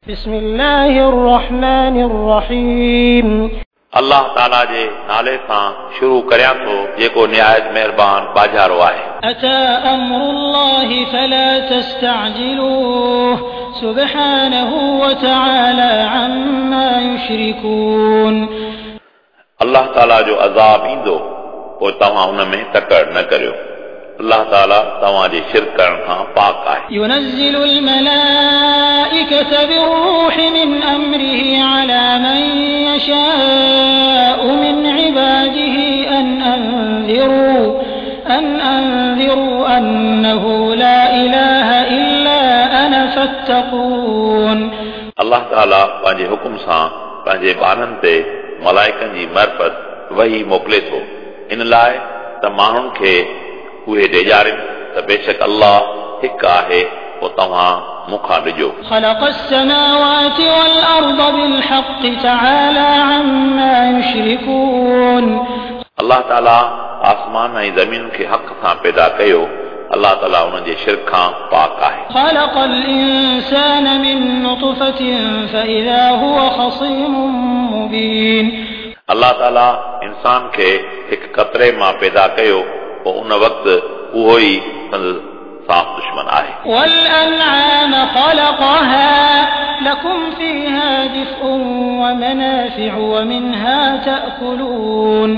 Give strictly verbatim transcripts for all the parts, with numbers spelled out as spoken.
بسم الله الرحمن الرحيم. الله تعالى جي نالي سان شروع ڪريان ٿو جيڪو نهايت مهربان باجارو آهي. أتى أمر الله فلا تستعجلوه سبحانه وتعالى عما يشركون. الله تعالى جو عذاب ايندو پوءِ توهان ان ۾ تڪڙ نه ڪريو. الله تعالى توهان جي شرڪ ڪرڻ کان پاڪ آهي. ينزل الملائكة بالروح من أمره على من يشاء من عباده أن أنذروا أن أنذروا أنه لا إله إلا أنا فاتقون. الله تعالى پنهنجي حڪم سان پنهنجي ٻانهن تي ملائڪن جي معرفت وحي موڪلي ٿو ان لاءِ ته ماڻهن کي اهي ڊيڄارين ته بيشڪ الله هڪ آهي پوءِ توهان مون کان ڏجو. خلق السماوات والأرض بالحق تعالى عما يشركون. الله تعالى آسمان ۽ زمين کي حق سان پيدا ڪيو. الله تعالى انهن جي شرڪ کان پاڪ آهي. خلق الإنسان من نطفة فإذا هو خصيم مبين. الله تعالى انسان کي هڪ قطري مان پيدا ڪيو پوءِ ان وقت اهو ئي سندس صاف دشمن آهي. والأنعام خلقها لكم فيها دفء ومنافع ومنها تأكلون.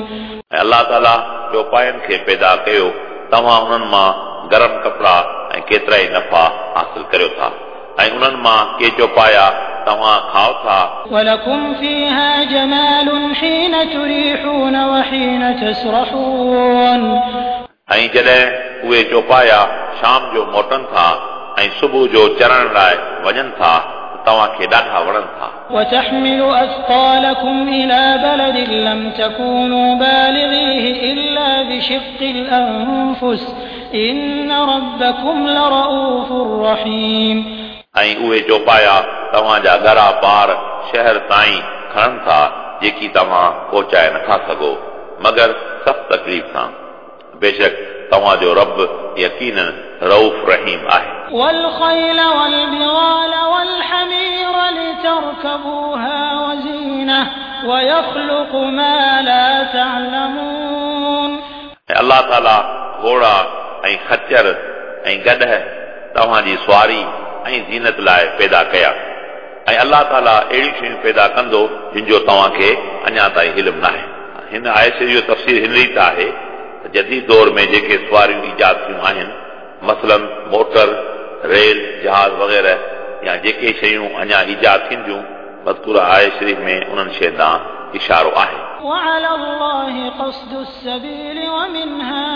۽ الله تعالى چوپاين کي پيدا ڪيو توهان انهن مان گرم ڪپڙا ۽ ڪيترا ئي نفع حاصل ڪريو ٿا ۽ انهن مان ڪي چوپايا توهان کائو ٿا. ولكم فيها جمال حين تريحون وحين تسرحون. ۽ جڏهن اهي چوپايا شام جو موٽن ٿا ۽ صبح جو چرڻ لاءِ وڃن ٿا توهان کي ڏاڍا وڻن ٿا. وتحمل أثقالكم إلى بلد لم تكونوا بالغيه إلا بشق الأنفس إن ربكم لرؤوف رحيم. ۽ اهي چوپايا توهان جا ڳرا بار شهر تائين کڻن ٿا جيڪي توهان پهچائي نٿا سگهو مگر سخت تڪليف سان. بيشڪ توهان جو رب يقينن رؤوف رحيم آهي. والخيل والبغال والحمير لتركبوها وزينة ويخلق ما لا تعلمون. ۽ الله تعالى گهوڙا ۽ خچر ۽ گڏهه توهان جي سواري ۽ زينت لاءِ پيدا ڪيا ۽ الله تعالى اهڙيون شيون پيدا ڪندو جن جو توهان کي اڃا تائين علم ناهي. هن آيت جو تفسير هن ريت آهي ته جديد دور ۾ جيڪي سواريون ايجاد ٿيون آهن مثلاً موٽر، ريل، جهاز وغيره يا جيڪي شيون اڃا ايجاد ٿينديون مذڪوره آيت شريف ۾ انهن شين ڏانهن اشارو آهي. وعلى الله قصد السبيل ومنها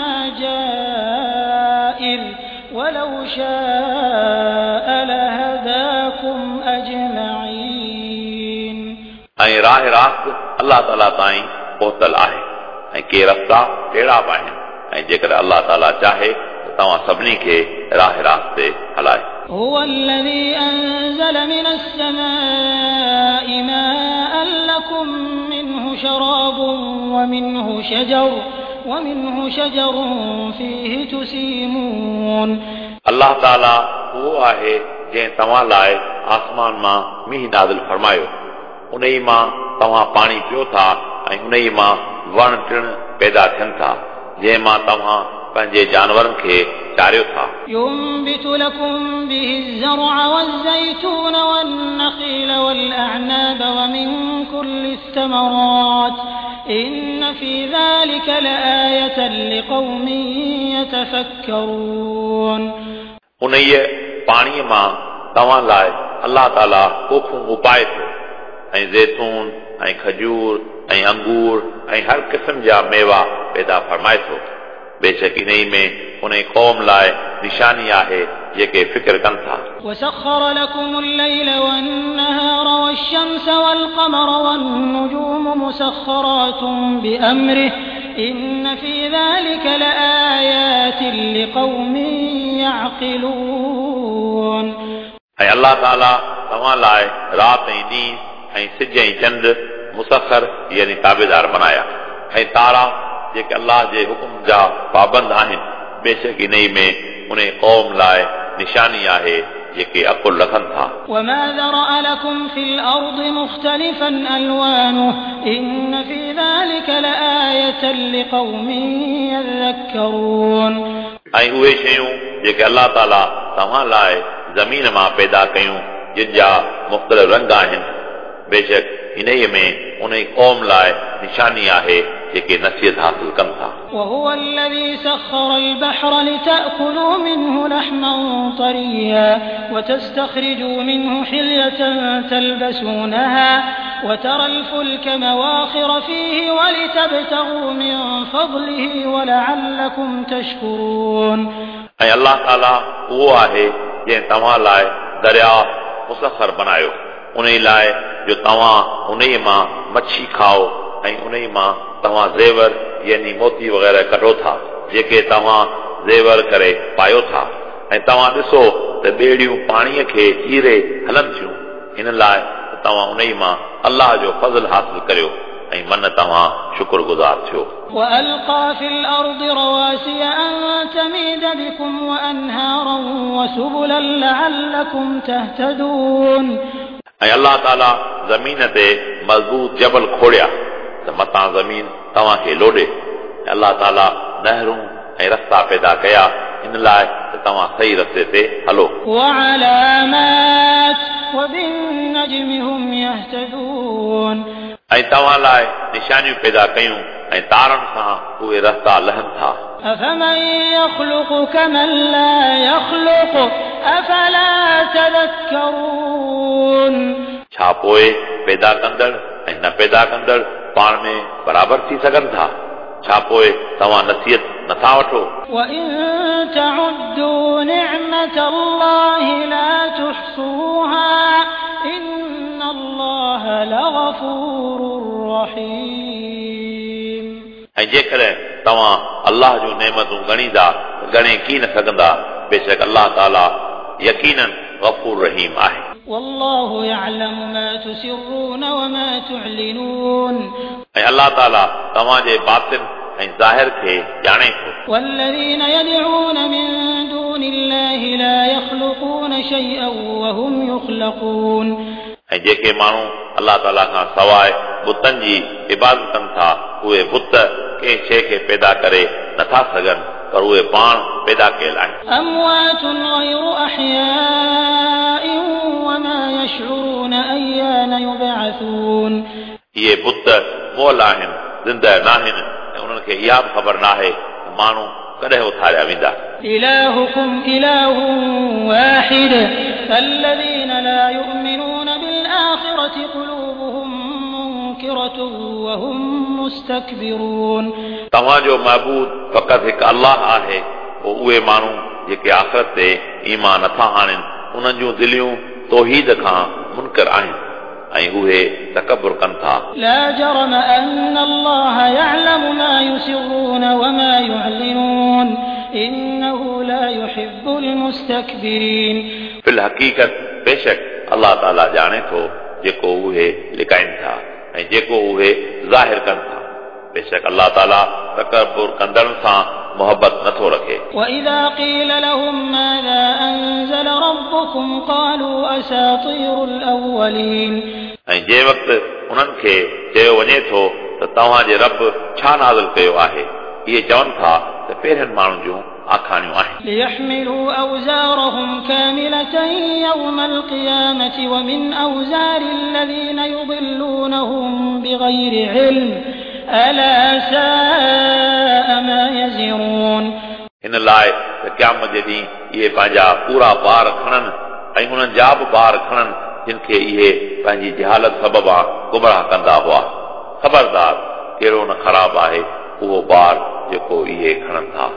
جائر ولو شاء لهداكم أجمعين. ۽ راهه راست الله تعالى تائين پهتل آهي ۽ ڪي رستا ٽيڙا به آهن ۽ جيڪڏهن الله تعالى چاهي ته توهان سڀني کي راهه راست تي هلائي. هو الذي أنزل من السماء ماء لكم منه شراب ومنه شجر ومنه شجر فيه تسيمون. الله تعالى اهو آهي جنهن توهان لاءِ آسمان مان مينهن نازل فرمايو ان ئي مان توهان پاڻي پيو ٿا ۽ ان ئي مان وڻ ٽڻ پيدا ٿين ٿا جنهن مان توهان پنهنجي جانورن کي چاريو ٿا. ينبت لكم به الزرع والزيتون والنخيل والأعناب ومن كل الثمرات إن في ذلك لآية لقوم يتفكرون. انهيء پاڻيءَ مان توهان لاءِ الله تعالى پوکون اپائي ٿو ۽ زيتون ۽ کجور ۽ انگور ۽ هر قسم جا ميوا پيدا فرمائي ٿو. بيشڪ انهيءَ ۾ ان قوم لاءِ نشاني آهي جيڪي فڪر ڪن ٿا. وسخر لكم الليل والنهار والشمس والقمر والنجوم مسخرات بأمره إن في ذلك لآيات لقوم يعقلون. ۽ الله تعالى توهان لاءِ رات ۽ ڏينهن ۽ سج ۽ چنڊ مسخر يعني تابيدار بڻايا ۽ تارا جيڪي الله جي حڪم جا پابند آهن. بيشڪ انهيءَ ۾ ان قوم لاءِ نشاني آهي जेके अकुल रखनि था। وما ذرأ لكم في الأرض مختلفا ألوانه إن في ذلك لآية لقوم يذكرون। ऐं उहे शयूं जेके अलाह ताला तव्हां लाइ ज़मीन मां पैदा कयूं जिन जा मुख़्तलिफ़ रंग आहिनि, बेशक इन्हीअ में उन क़ौम लाइ निशानी आहे जेके नसीहत हासिल कनि था। وهو الذي سخر البحر لتأكلوا منه لحما طريا وتستخرجوا منه حلية تلبسونها وترى الفلك مواخر فيه ولتبتغوا من فضله ولعلكم تشكرون। ऐं अलाह ताला उहो आहे जंहिं तव्हां लाइ दरिया मुसखर बनायो उन लाइ जो तव्हां उन मां मच्छी खाओ ऐं उन मां तव्हां ज़ेवर यानी मोती वग़ैरह कढो था जेके तव्हां ज़ेवर करे पायो था। ऐं तव्हां ॾिसो त ॿेड़ियूं पाणीअ खे चीरे हलनि थियूं, हिन लाइ त तव्हां उन मां अलाह जो फज़ल हासिल करियो ऐं मन तव्हां शुक्रगुज़ार थियो। وألقى في الأرض رواسي أن تميد بكم وأنهارا وسبلا لعلكم تهتدون। ऐं अलाह ताला ज़मीन ते मज़बूत जबल खोड़िया त मतां ज़मीन तव्हांखे लोॾे। ऐं अलाह ताला नहरूं ऐं रस्ता पैदा कया इन लाइ त तव्हां सही रस्ते ते हलो। وعلامات وبالنجم هم يهتدون। ऐं तव्हां लाइ निशानियूं पैदा कयूं ऐं तारनि सां उहे रस्ता लहनि था। أفمن يخلق كمن لا يخلق أفلا تذكرون। छा पोइ पैदा कंदड़ ऐं न पैदा कंदड़ पाण में बराबरि थी सघनि था? छा पोइ तव्हां नसीहत नथा वठो? وإن تعدوا نعمة الله لا تحصوها إن الله لغفور رحيم। ऐं जेकॾहिं तव्हां अलाह जूं नेमतूं ॻणींदा ॻणे की न सघंदा, बेशक अलाह ताला यकीनन गफ़ूर रहीम आहे। والله يعلم ما تسرون وما تعلنون। ऐं अलाह ताला तव्हांजे बातिन ऐं ज़ाहिर खे ॼाणे थो। والذين يدعون من دون الله لا يخلقون شيئا وهم يخلقون। ऐं जेके माण्हू अलाह ताला खां सवाइ बुतनि जी इबादत कनि था उहे बुत कंहिं शइ खे पैदा करे नथा सघनि, पर उहे पाण पैदा कयल आहिनि। أموات غير أحياء وما يشعرون أيان يبعثون। इहे बुत मुअल आहिनि, ज़िंदा नाहिनि ऐं उन्हनि खे इहा बि ख़बर नाहे त माण्हू कॾहिं उथारिया वेंदा। إلهكم إله واحد فالذين لا يؤمنون بالآخرة قلوبهم منكرة وهم مستكبرون। तव्हांजो महबूद फ़क़ति हिकु अलाह आहे, पोइ उहे माण्हू जेके आख़िरत ते ईमान नथा आणनि उन्हनि जूं दिलियूं तौहीद खां मुनकर आहिनि ऐं उहे तकबुर कनि था। لا جرم أن الله يعلم ما يسرون وما يعلنون إنه لا يحب المستكبرين। फिल हक़ीक़त बेशक अलाह ताला ॼाणे थो जेको उहे लिकाइनि था ऐं जेको उहे ज़ाहिर कनि था। बेशक अलाह ताला तकबुर कंदड़नि सां मोहबत नथो रखे। وإذا قيل لهم ماذا أنزل ربكم قالوا أساطير الأولين। ऐं जंहिं वक़्तु उन्हनि खे चयो वञे थो त तव्हांजे रब छा नाज़िल कयो आहे, इहे चवनि था त पहिरियनि माण्हुनि जूं आखाणियूं आहिनि। ليحملوا أوزارهم كاملة يوم القيامة ومن أوزار الذين يضلونهم بغير علم ألا ساء ما يزرون। हिन लाइ त क़यामत जे ॾींहुं इहे पंहिंजा पूरा बार खणनि ऐं उन्हनि जा बि बार खणनि जिन खे इहे पंहिंजी जहालत सबबा गुमराह कंदा हुआ। ख़बरदार, कहिड़ो न ख़राबु आहे उहो बार जेको इहे खणनि था।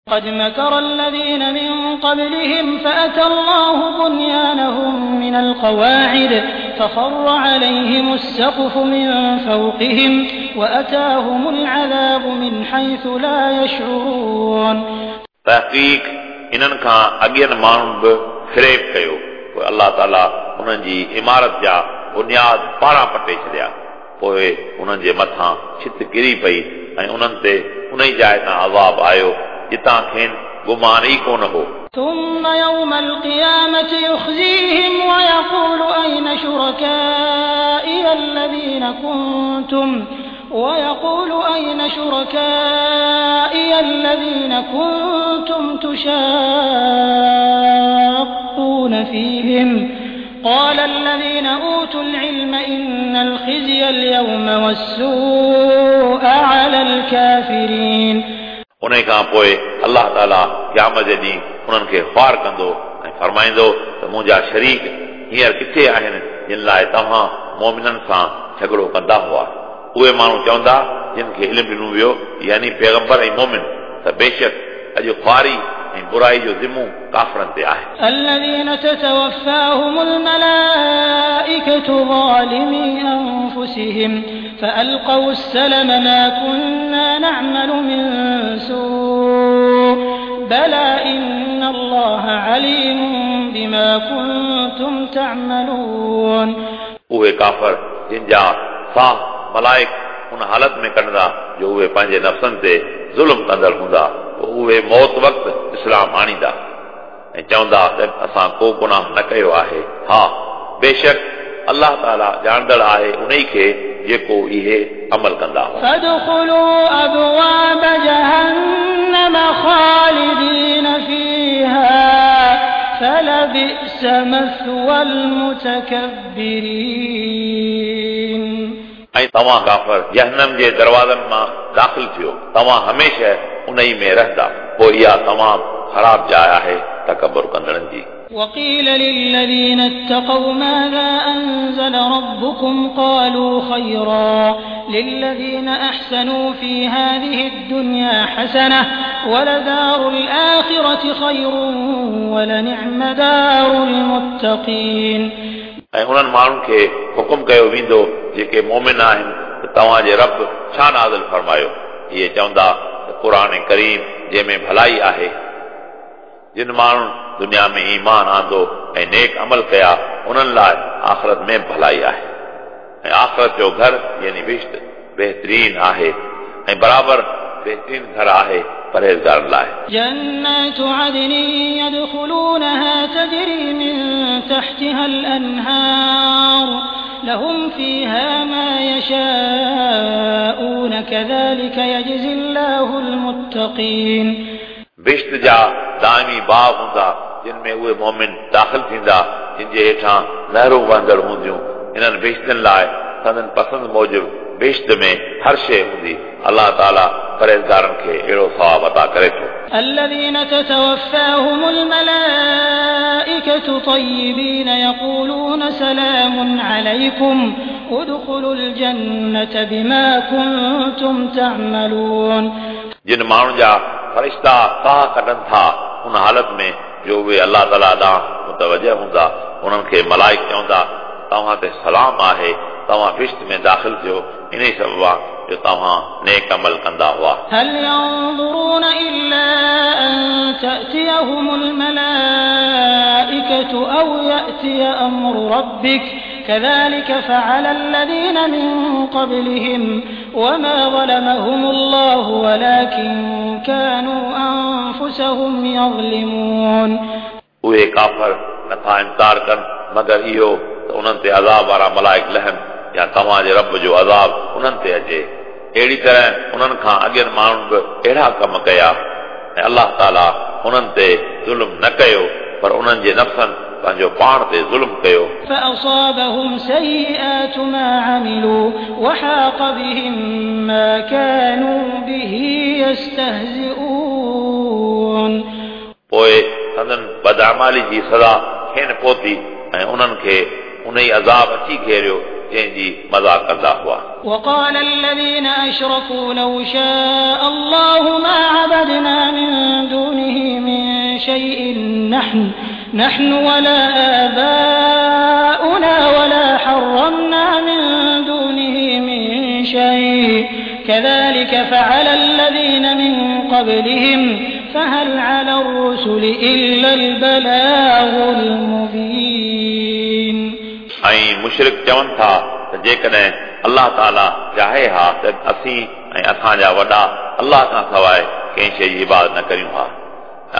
قد مكر الذين من قبلهم فأتى الله بنيانهم من القواعد فخر عليهم السقف من فوقهم وأتاهم العذاب من حيث لا يشعرون. तहक़ीक़ इन्हनि खां अॻियनि माण्हुनि बि फ़रेब कयो, पोइ अलाह ताला उन्हनि जी इमारत जा बुनियाद पारां पटे छॾिया, पोइ उन्हनि जे मथां छित किरी पई ऐं उन्हनि ते उन ई जाइ तां अज़ाब आयो जितां खेनि गुमान ई कोन हो। ثم يوم القيامة يخزيهم ويقول أين شركائي الذين كنتم ويقول أين شركائي الذين كنتم تشاقون فيهم قال الذين أوتوا العلم إن الخزي اليوم والسوء على الكافرين. उन खां पोइ अलाह ताला क़यामत जे ॾींहुं उन्हनि खे ख़्वार कंदो ऐं फरमाईंदो त मुंहिंजा शरीक हींअर किथे आहिनि जिन लाइ तव्हां मोमिननि सां झगड़ो कंदा हुआ। उहे माण्हू चवंदा जिन खे इल्मु ॾिनो वियो यानी पैगंबर ऐं मोमिन त बेशक अॼु ख़्वारी ऐं बुराई जो ज़िमो काफ़रनि ते आहे। الذين تتوفاهم الملائكة ظالمي أنفسهم فألقوا السلم ما كنا نعمل من سوء بلى إن الله عليم بما كنتم تعملون. उहे काफ़र जिन जा साह मलाइक उन हालत में कढंदा जो उहे पंहिंजे नफ़्सनि ते ज़ुल्म कंदड़ हूंदा पोइ उहे मौत वक़्तु इस्लाम आणींदा ऐं चवंदा त असां को गुनाह न कयो आहे। हा बेशक अलाह ताला ॼाणंदड़ आहे उन खे जेको इहे अमल कंदा हुआ। فادخلوا أبواب جهنم خالدين فيها فلبئس مثوى المتكبرين. ऐं तव्हां काफ़र जहन्नम जे दरवाज़नि मां दाख़िल थियो, तव्हां हमेशह उन ई में रहंदा, पोइ इहा तमामु ख़राब जाइ आहे तकबुर कंदड़नि जी। وقيل للذين اتقوا ماذا أنزل ربكم قالوا خيرا للذين أحسنوا في هذه الدنيا حسنة ولدار الآخرة خير ولنعم دار المتقين. ऐं उन्हनि माण्हुनि खे हुकुम कयो वेंदो जेके मोमिन आहिनि त तव्हांजे रब छा नाज़िल फरमायो। इहे चवंदा त क़ुर करीम जंहिंमें भलाई आहे। जिन माण्हुनि दुनिया में ईमान आंदो ऐं नेक अमल कया उन्हनि लाइ आख़िरत में भलाई आहे ऐं आख़िरत जो घर यानी बिश्त बहितरीन आहे ऐं बराबरि बहितरीन घर आहे परहेज़गारनि लाइ। جنات عدن يدخلونها تجري من تحتها الأنهار لهم فيها ما يشاءون كذلك يجزي الله المتقين. बिश्त जा दाइमी बाग़ हूंदा जिन में उहे मोमिन दाख़िल थींदा जिन जे हेठां नहरूं वहंदड़ हूंदियूं। इन्हनि बिश्तनि लाइ संदन पसंदि मूजिबि बिश्त में हर शइ हूंदी। अलाह ताला परहेज़गारनि खे अहिड़ो सवाब अता करे थो। الذين تتوفاهم الملائكة طيبين يقولون سلام عليكم ادخلوا الجنة بما كنتم تعملون. जिन माण्हुनि जा फरिश्ता साह कढनि था उन हालत में जो उहे अलाह ताला ॾांहुं मुतवजह हूंदा उन्हनि खे मलाइक चवंदा तव्हां ते सलाम आहे, तव्हां बिश्त में दाख़िल थियो इन ई सबब जो तव्हां नेक अमल कंदा हुआ। هل ينظرون إلا أن تأتيهم الملائكة أو يأتي أمر ربك كذلك فعل الذين من قبلهم وما ظلمهم الله ولكن كانوا أنفسهم يظلمون. उहे काफ़र नथा इंतज़ार कनि मगर इहो त उन्हनि ते अज़ाब वारा मलाइक लहनि या तव्हांजे रब जो अज़ाब उन्हनि ते अचे। अहिड़ी तरह उन्हनि खां अॻियनि माण्हुनि बि अहिड़ा कम कया ऐं अलाह ताला उन्हनि ते ज़ुल्म न कयो पर उन्हनि जे नफ़्सनि पंहिंजो पाण ते ज़ुल्म कयो। فأصابهم سيئات ما عملوا وحاق بهم ما كانوا به يستهزئون. पोइ संदन बदआमाली जी सज़ा खेनि पहुती ऐं उन्हनि खे उन ई अज़ाब अची घेरियो जंहिंजी मज़ाक कंदा हुआ। وقال الذين أشركوا لو شاء الله ما عبدنا من دونه من شيء نحن نحن ولا آباؤنا ولا حرمنا من دونه من شيء كذلك فعل الذين من قبلهم فهل على الرسل إلا البلاغ المبين. ऐं मुशरिक चवनि था त जेकॾहिं अलाह ताला चाहे हा त असीं ऐं असांजा वॾा अलाह खां सवाइ कंहिं शइ जी इबादत न करियूं हा।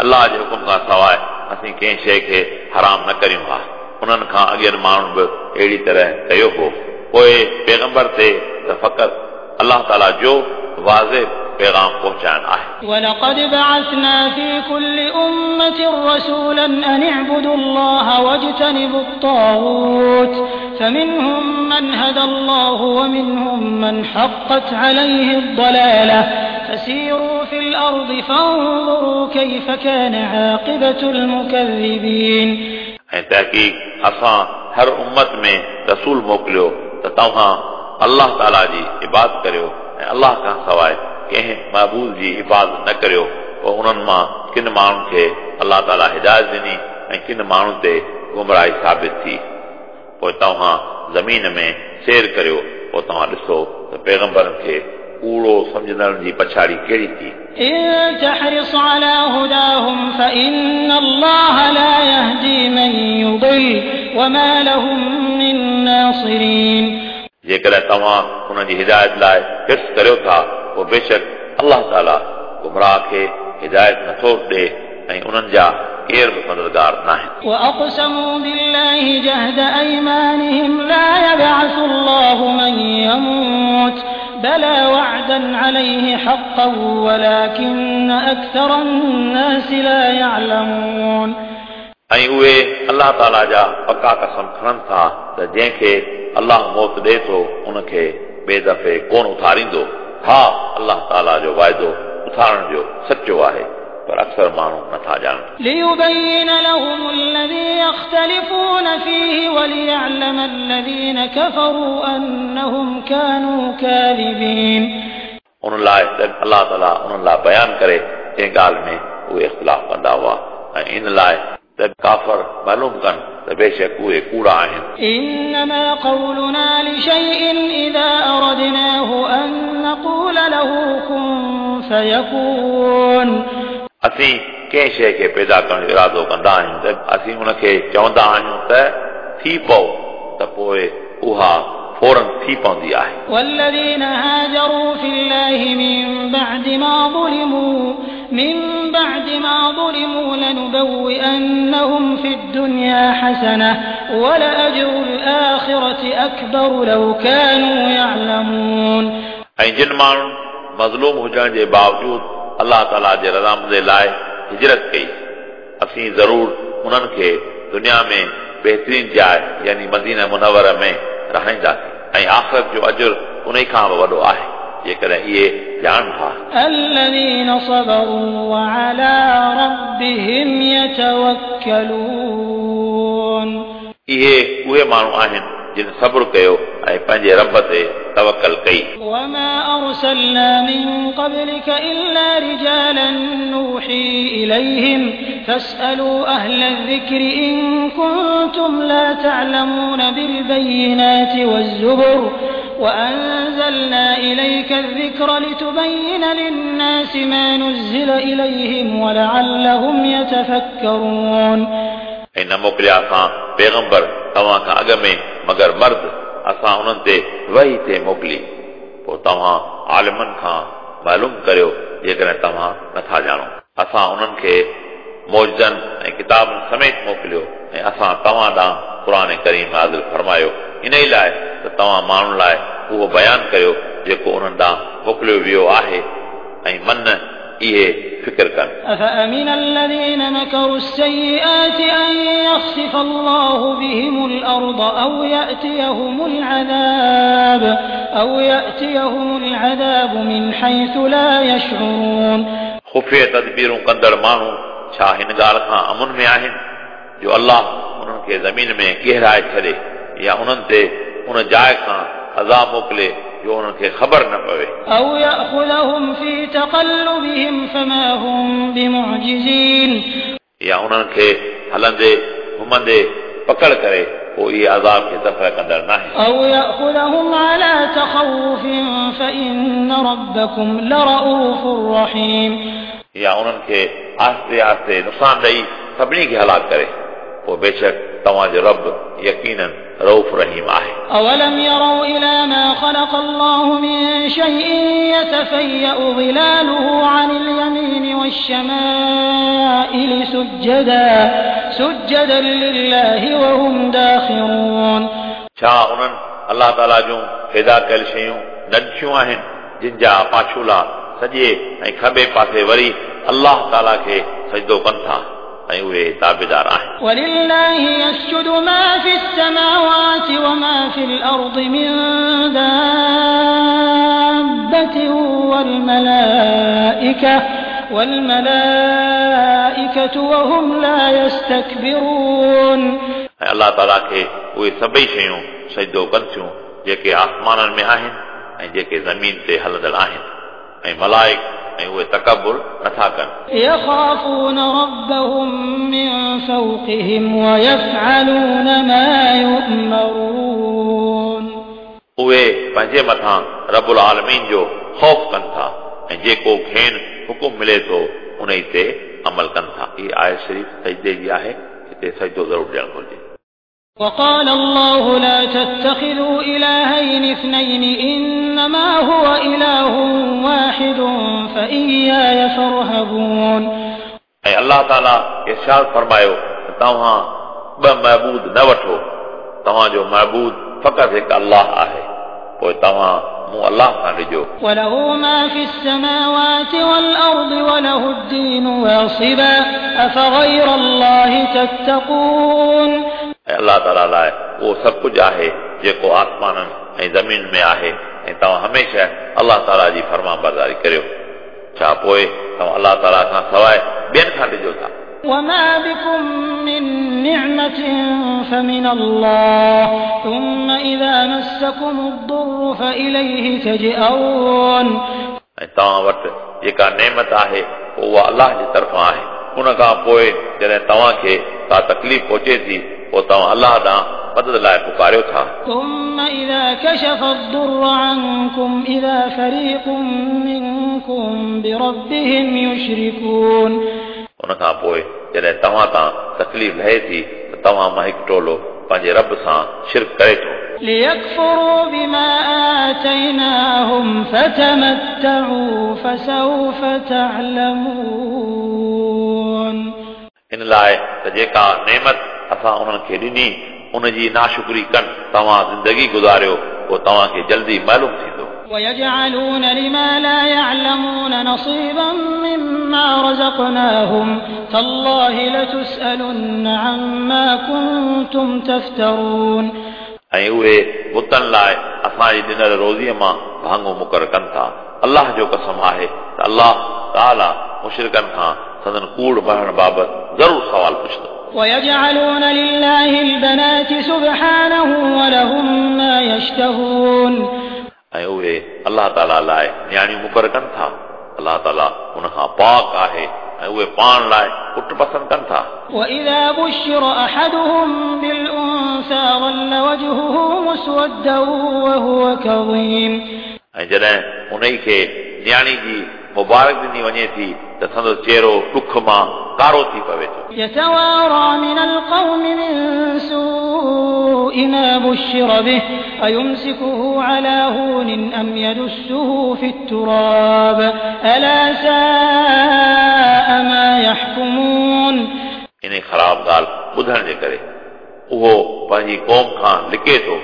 अल्लाह जे हुकुम खां सवाइ असीं कंहिं शइ खे हराम न करियूं हा। उन्हनि खां अॻियनि माण्हुनि बि अहिड़ी तरह कयो हो। पोइ पैगंबर ते त फ़क़ति अल्लाह ताला जो वाज़िह पैगाम पहुचाइण आहे। ولقد بعثنا في كل أمة رسولا أن اعبدوا الله واجتنبوا الطاغوت فمنهم من هدى الله ومنهم من حقت عليه الضلالة فسيروا في الأرض فانظروا كيف كان عاقبة المكذبين। ऐं तहक़ीक़ असां हर उम्मत में रसूल मोकिलियो त तव्हां अल्लाह ताला जी इबादत करियो ऐं अल्लाह खां सवाइ कंहिं महबूद जी इबादत न करियो। पोइ उन्हनि मां किन माण्हुनि खे अल्लाह ताला हिदायत ॾिनी ऐं किन माण्हुनि ते गुमराही साबित थी। पोइ तव्हां ज़मीन में सैर करियो, पोइ तव्हां ॾिसो त पैगंबरनि खे कूड़ो सम्झंदड़नि जी पछाड़ी कहिड़ी थी। إن تحرص على هداهم فإن الله لا يهدي من يضل وما لهم من ناصرين। जेकॾहिं तव्हां उन्हनि जी हिदायत लाइ हिर्स करियो था पोइ बेशक अल्लाह ताला गुमराह खे हिदायत नथो ॾिए ऐं उन्हनि जा केर बि मददगार न आहिनि। وأقسموا بالله جهد أيمانهم لا يبعث الله من يموت بلى وعدا عليه حقا ولكن أكثر الناس لا يعلمون। ऐं उहे अल्लाह ताला जा पका कसम खणनि था त जंहिंखे अल्लाह मौत ॾिए थो उनखे ॿिए दफ़े कोन उथारींदो। हा, अल्लाह ताला जो वाइदो उथारण जो सचो आहे, पर अक्सर माण्हू नथा ॼाणनि। ليبين لهم الذي يختلفون فيه وليعلم الذين كفروا أنهم كانوا كاذبين। उन लाइ त अल्लाह ताला उन्हनि लाइ बयानु करे जंहिं ॻाल्हि में उहे इख़्तिलाफ़ कंदा हुआ ऐं इन लाइ त काफ़र मालूम कनि त बेशक उहे कूड़ा आहिनि। إنما قولنا لشيء إذا أردناه أن نقول له كن فيكون। असीं कंहिं शइ खे पैदा करण जो इरादो कंदा आहियूं त असीं उनखे चवंदा आहियूं त थी पओ, त पोइ उहा फ़ौरन थी पवंदी आहे। والذين هاجروا في الله من بعد ما ظلموا من بعد ما ظلموا لنبوئنهم في الدنيا حسنة ولأجر الآخرة أكبر لو كانوا يعلمون। ऐं जिन माण्हुनि मज़लूम हुजण जे बावजूद अल्लाह ताला जे रज़ामंदी लाइ हिजरत कई, असीं ज़रूर उन्हनि खे दुनिया में बहितरीन जाइ यानी मदीना मुनवर में रहाईंदासीं ऐं आख़िरत जो अजुर उन खां बि वॾो आहे जेकॾहिं इहे ॼाणनि था। الذين صبروا وعلى ربهم يتوكلون। इहे उहे माण्हू आहिनि जिन सब्र कयो ऐं पंहिंजे रब ते तवकल कई। وما أرسلنا من قبلك إلا رجالا نوحي إليهم فاسألوا أهل الذكر إن كنتم لا تعلمون بالبينات والزبر وأنزلنا إليك الذكر لتبين للناس ما نزل إليهم ولعلهم يتفكرون। ऐं न मोकिलिया असां पैगंबर तव्हां खां अॻु में मगर मर्द असां उन्हनि ते वही ते मोकिली, पोइ तव्हां आलिमनि खां मालूम करियो जेकॾहिं तव्हां नथा ॼाणो। असां उन्हनि खे मौजनि ऐं किताबनि समेत मोकिलियो ऐं असां तव्हां ॾांहुं क़ुर करीम नाज़िल फरमायो इन ई लाइ त तव्हां माण्हुनि लाइ उहो बयानु करियो जेको उन्हनि ॾांहुं मोकिलियो वियो आहे ऐं मन इहे फ़िक्र कनि। أفأمن الذين مكروا السيئات أن يخسف الله بهم الأرض أو يأتيهم العذاب أو يأتيهم العذاب من حيث لا يشعرون। ख़ुफ़िया तदबीरूं कंदड़ माण्हू छा हिन ॻाल्हि खां अमन में आहिनि जो अल्लाह उन्हनि खे ज़मीन में गहराए छॾे या उन्हनि ते उन जाइ खां अज़ाब मोकिले जो उन्हनि खे ख़बर न पवे। أو يأخذهم في تقلبهم فما هم بمعجزين। या उन्हनि खे हलंदे घुमंदे पकड़ करे पोइ इहे अज़ाब खे दफ़ा कंदड़ न आहिनि। أو يأخذهم على تخوف فإن ربكم لرؤوف رحيم। या उन्हनि खे आहिस्ते आहिस्ते नुक़सानु ॾेई सभिनी खे हलाक करे, पोइ बेशक तव्हांजो रब यकीनन रऊफ़ रहीम आहे। أولم يروا إلى ما خلق الله من شيء يتفيأ ظلاله عن اليمين والشمائل سجدا سجدا لله وهم داخرون. छा उन्हनि अलाह ताला जूं पैदा कयल शयूं न ॾिठियूं आहिनि जिन जा पाछूला सॼे ऐं खॿे पासे वरी अलाह ताला खे सजदो कनि था ऐं उहे ताबेदार आहिनि. ولله يسجد ما في السماوات وما في الأرض من دابة والملائكة والملائكة وهم لا يستكبرون. ऐं अलाह ताला खे उहे सभई शयूं सजदो कनि थियूं जेके आसमाननि में आहिनि ऐं जेके ज़मीन ते हलंदड़ आहिनि ऐं मलाइक ऐं उहे तकबुर नथा कनि. يخافون ربهم من فوقهم ويفعلون ما يؤمرون. उहे पंहिंजे मथां रबुल आलमीन जो ख़ौफ़ कनि था ऐं जेको खेनि हुकुम मिले थो उन ते अमल कनि था. हीअ आयत शरीफ़ सजदे जी आहे, हिते सजदो ज़रूरु ॾियणु घुरिजे. وقال الله لا تتخذوا إلهين اثنين إنما هو إله واحد فإياي فارهبون. ऐं अलाह ताला इरशाद फरमायो त तव्हां ॿ महबूद न वठो, तव्हांजो महबूद फ़क़ति हिकु अलाह आहे, पोइ तव्हां मूं अलाह खां ॾिजो. وله ما في السماوات والأرض وله الدين واصبا أفغير الله تتقون. ऐं अलाह ताला लाइ उहो सभु कुझु आहे जेको आसमाननि ऐं ज़मीन में आहे ऐं तव्हां हमेशह अलाह ताला जी फर्मा बरदारी करियो. छा पोइ तव्हां अलाह ताला खां सवाइ ॿियनि खां ॾिजो था? وما بكم من نعمة فمن الله ثم إذا مسكم الضر فإليه تجأرون. ऐं तव्हां वटि जेका नेमत आहे उहा अलाह जे तरफ़ां आहे, उन खां पोइ जॾहिं तव्हांखे का तकलीफ़ पहुचे थी पोइ तव्हां अलाह ॾांहुं मदद लाइ पुकारियो था. ثم إذا كشف الضر عنكم إذا فريق منكم بربهم يشركون. उन खां पोइ जॾहिं तव्हां तां तकलीफ़ लहे थी त तव्हां मां हिकु टोलो पंहिंजे रब सां शिरक करे थो. ليكفروا بما آتيناهم فتمتعوا فسوف تعلمون. इन लाइ त जेका नेमत असां उन्हनि खे ॾिनी उनजी नाशुक्री कनि, तव्हां ज़िंदगी गुज़ारियो पोइ तव्हांखे जल्दी मालूम थींदो. ويجعلون لما لا يعلمون نصيبا مما رزقناهم تالله لتسألن عما كنتم تفترون. ऐं उहे बुतनि लाइ असांजी ॾिनल रोज़ीअ मां भाङो मुक़ररु कनि था. अलाह जो कसम आहे त अलाह ताला मुशरिकनि खां संदन कूड़ भरण बाबति ज़रूरु सवाल पुछंदो. ويجعلون لله البنات سبحانه ولهم ما يشتهون. ऐं उहे अलाह ताला लाइ नियाणियूं मुक़ररु कनि था. अलाह ताला उन खां पाक आहे ऐं उहे पाण लाइ पुट पसंदि कनि था. وإذا بشر أحدهم بالأنثى ظل وجهه مسودا وهو كظيم. ऐं जॾहिं उन खे नियाणी जी मुबारक ॾिनी वञे थी त संदसि चहिरो ॾुख मां कारो थी पवे थो. يتوارى من القوم من سوء ما بشر به أيمسكه على هون أم يدسه في التراب ألا ساء ما يحكمون. इन ख़राब ॻाल्हि ॿुधण जे करे उहो पंहिंजी क़ौम खां लिके थो,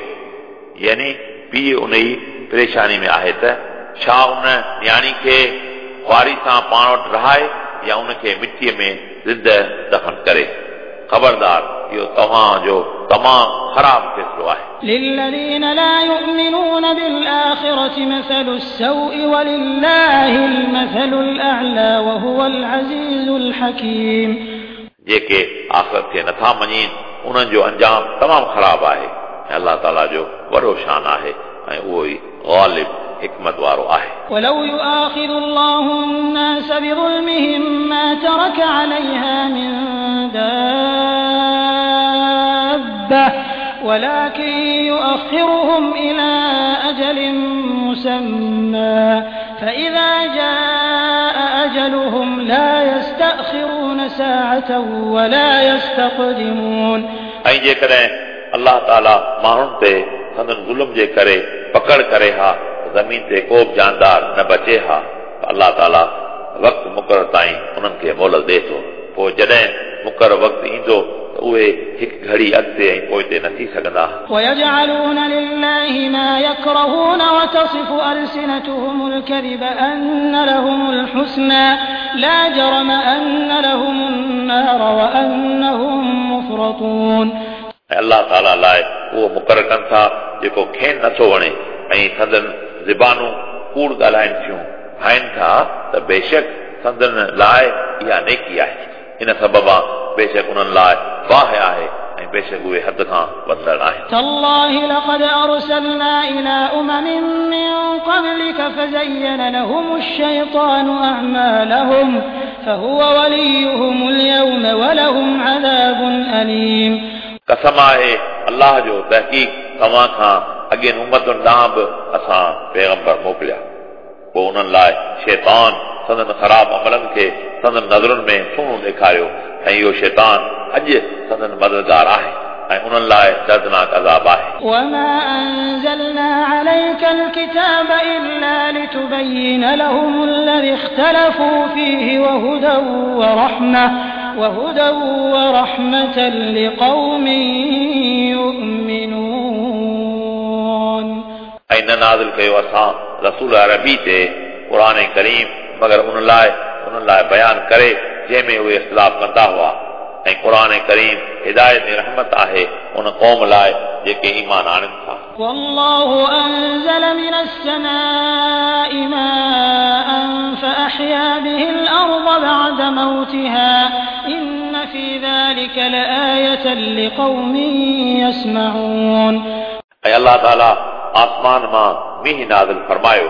यानी पीउ उन ई परेशानी में आहे त छा उन नियाणी खे ख़्वारी सां पाण वटि रहाए या उनखे मिटीअ में ज़िंद दफ़न करे. ख़बरदार, इहो तव्हांजो तमामु ख़राब फ़ैसिलो आहे. للذين لا يؤمنون بالآخرة مثل السوء ولله المثل الأعلى وهو العزيز الحكيم. जेके आख़िरत खे नथा मञीनि उन्हनि जो अंजाम तमामु ख़राब आहे ऐं अलाह ताला जो वॾो शान आहे ऐं उहो ई ग़ालिब हिकमत वारो आहे. ولو يؤاخذ الله الناس بظلمهم ما ترك عليها من دابة ولكن يؤخرهم إلى أجل مسمى فإذا جاء أجلهم لا يستأخرون ساعة ولا يستقدمون. ऐं जेकॾहिं अलाह ताला माण्हुनि ते संदन ज़ुल्म जे करे पकड़ करे हा ज़मीन ते को बि जानदार न बचे हा। अल्लाह ताला वक़्तु मुक़ररु ताईं उन्हनि खे मोहलत ॾिए थो, पोइ जॾहिं मुक़ररु वक़्तु ईंदो त उहे हिकु घड़ी अॻिते ऐं पोइते न थी सघंदा। ويجعلون لله ما يكرهون وتصف ألسنتهم الكذب أن لهم الحسنى لا جرم أن لهم النار وأنهم مفرطون। ऐं अल्लाह ताला लाइ उहो मुक़ररु कनि था जेको खेनि नथो वणे ऐं संदन ज़बानूं कूड़ ॻाल्हाइनि थियूं, भाइनि था त बेशक संदन लाइ इहा नेकी आहे, इन सबबा बेशक उन्हनि लाइ बाहि आहे ऐं बेशक उहे हद खां वधंदड़ आहिनि। تالله لقد أرسلنا إلى أمم من قبلك فزين لهم الشيطان أعمالهم فهو وليهم اليوم ولهم عذاب أليم। कसम आहे अल्लाह जो, तहक़ीक़ तव्हां खां अॻियनि उम्मतुनि ॾांहुं बि असां पैगंबर मोकिलिया, पोइ उन्हनि लाइ शैतान संदन ख़राब अमलनि खे संदन नज़रुनि में सुहिणो ॾेखारियो ऐं इहो शैतान अॼु संदन मददगार आहे ऐं उन्हनि लाइ दर्दनाक अज़ाब आहे। وما أنزلنا عليك الكتاب إلا لتبين لهم الذي اختلفوا فيه وهدى ورحمة وهدى ورحمة لقوم يؤمنون। ऐं न नाज़िल कयो असां रसूल अरबी ते क़ुर करीम मगर उन लाइ उन्हनि लाइ बयान करे जंहिंमें उहे इख़्तिलाफ़ कंदा हुआ, ऐं क़ुर करीम हिदायत ऐं रहमत आहे उन क़ौम लाइ जेके ईमान आणनि था। والله أنزل من السماء ماء فأحيا به الأرض بعد موتها إن في ذلك لآية لقوم يسمعون। ऐं अल्लाह ताला आसमान मां मींहुं नाज़िल फरमायो,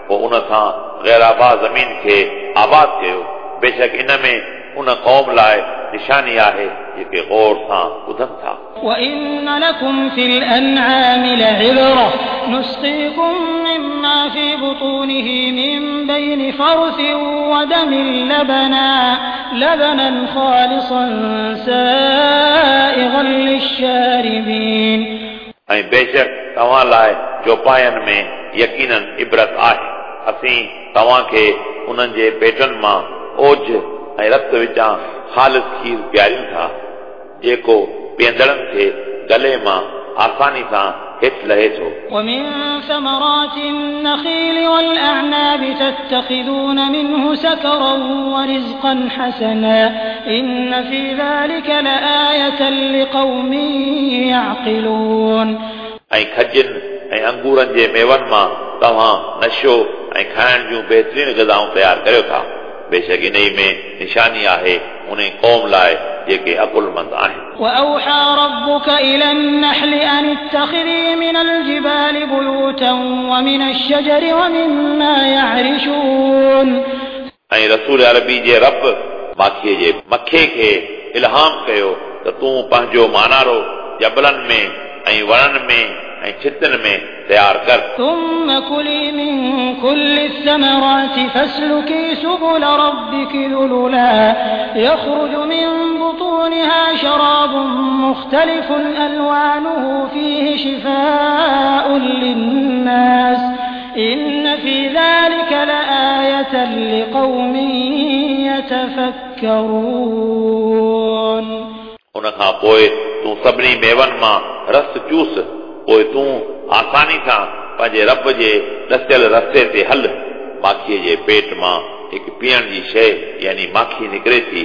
पोइ उन सां ग़ैर आबाद ज़मीन खे आबाद कयो, बेशक इन में उन क़ौम लाइ निशानी आहे जेके गौर सां ॿुधनि था। وإن لكم في الأنعام لعبرة نسقيكم مما في بطونه من بين فرث ودم لبنا لبنا خالصا سائغا للشاربين। ऐं बेशक तव्हां लाइ चौपायनि में यकीनन इबरत आहे, असीं तव्हांखे उन्हनि जे पेटनि मां ओझ ऐं रत विचां ख़ालिस खीर पीआरियूं था, जेको पीअंदड़नि खे गले मां आसानी सां हेठि लहे थो। ومن ثمرات النخيل والأعناب تتخذون منه سكرا ورزقا حسنا إن في ذلك لآية لقوم يعقلون। ऐं खजनि ऐं अंगूरनि जे मेवनि मां तव्हां नशो ऐं खाइण जूं बहितरीन ग़िज़ाऊं तयारु करियो था, बेशक इन में निशानी आहे उन क़ौम लाइ जेके अकुलमंद आहिनि। وأوحى ربك إلى النحل أن اتخذي من الجبال بيوتا ومن الشجر ومما يعرشون। ऐं रसूल अरबी जे रब माखीअ जे मखे खे इल्हाम कयो त तूं पंहिंजो मानारो जबलनि में ऐं वणनि में ऐं छितनि में तयारु कर। ثم كلي من كل الثمرات فاسلكي سبل ربك ذللا يخرج من بطونها شراب مختلف ألوانه فيه شفاء للناس إن في ذلك لآية لقوم يتفكرون। उन खां पोइ तूं सभिनी मेवनि मां रस चूस, पोइ तूं आसानी सां पंहिंजे रब जे ॾसियल रस्ते ते हल। माखीअ जे पेट मां हिकु पीअण जी शइ यानी माखी निकिरे थी,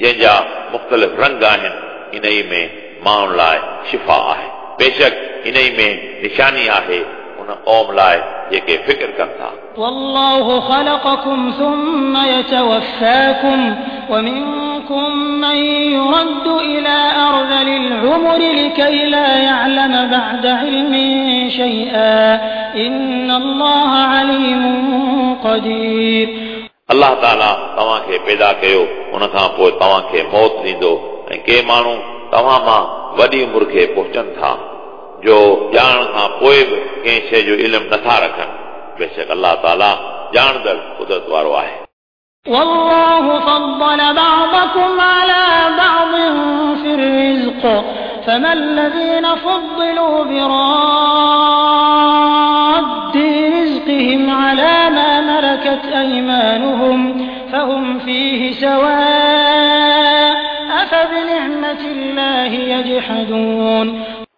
जंहिंजा मुख़्तलिफ़ रंग आहिनि, इन में माण्हुनि लाइ शिफ़ा आहे, बेशक इन में निशानी आहे उन क़ौम लाइ जेके फ़िक्र कनि था। والله خلقكم ثم يتوفاكم ومنكم من يرد إلى أرذل العمر لكي لا يعلم بعد علم شيئا إن الله عليم قدير। अल्लाह ताला तव्हांखे पैदा कयो, उन खां पोइ तव्हांखे मौत ॾींदो ऐं के माण्हू तव्हां मां वॾी उमिरि खे पहुचनि था, जो ॼाणण खां पोइ बि कंहिं शइ जो इल्मु नथा रखनि। बेशक अल्लाह ताला ॼाणंदड़ कुदरत वारो आहे। والله فضل بعضكم على بعض في الرزق فما الذين فضلوا براد ملكت أيمانهم فهم فيه سواء أفبنعمة الله يجحدون.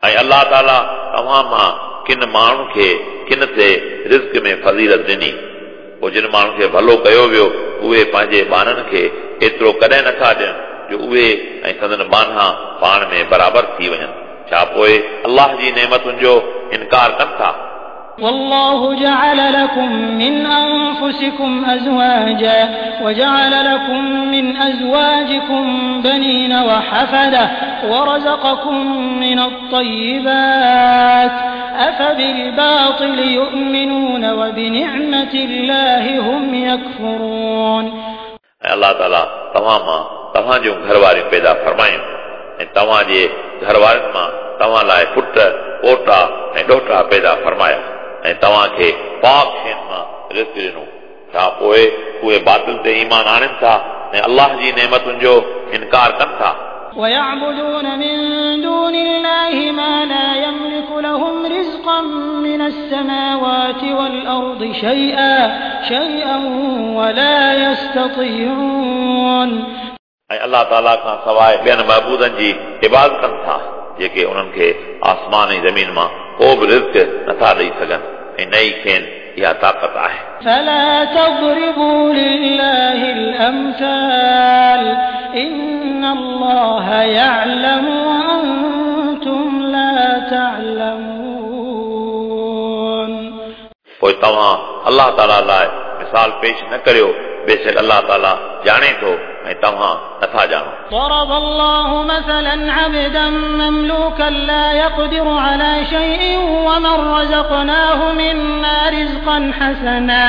ऐं अलाह ताला तव्हां मां किन माण्हुनि खे किन ते रिज़्क में फ़ज़ीलत ॾिनी, पोइ जिन माण्हुनि खे भलो कयो वियो उहे पंहिंजे ॿारनि खे एतिरो कॾहिं नथा ॾियनि जो उहे ऐं संदन ॿान्हा पाण में बराबरि थी वञनि। छा पोइ अलाह जी नेमतुनि जो इनकार कनि था? والله جعل لكم من أنفسكم أزواجا وجعل لكم من أزواجكم بنين وحفدة ورزقكم من الطيبات أفبالباطل يؤمنون وبنعمة الله هم يكفرون. ऐं अलाह ताला तव्हां मां तव्हां जूं घरवारियूं पैदा फरमायूं ऐं तव्हांजे घरवारनि मां तव्हां लाइ पुट, पोटा ऐं ॾोटा पैदा फरमाया ऐं तव्हांखे पाक शयुनि मां रिज़्क ॾिनो। छा पोइ उहे बातिल ते ईमान आणनि था ऐं अलाह जी नेमतुनि जो इनकार कनि था? ويعبدون من دون الله ما لا يملك لهم رزقا من السماوات والأرض شيئا شيئا ولا يستطيعون. ऐं अलाह ताला खां सवाइ ॿियनि महबूदनि जी इबादत कनि था जेके उन्हनि खे आसमान ऐं ज़मीन मां को बि रिज़्क नथा ॾेई सघनि ऐं न ई खेनि इहा ताक़त आहे। فلا تضربوا لله الأمثال إن الله يعلم وأنتم لا تعلمون. पोइ तव्हां अलाह ताला लाइ मिसाल पेश न करियो, बेशक अलाह ताला ॼाणे थो ऐं तव्हां नथा ॼाणो। ضرب الله مثلا عبدا مملوكا لا يقدر على شيء ومن رزقناه منا رزقا حسنا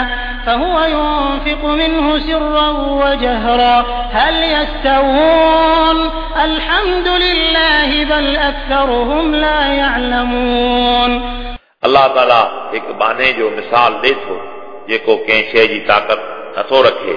فهو ينفق منه سرا وجهرا هل يستوون الحمد لله بل أكثرهم لا يعلمون. अलाह ताला हिकु बाने जो मिसाल ॾिए थो जेको कंहिं शइ जी ताक़त नथो रखे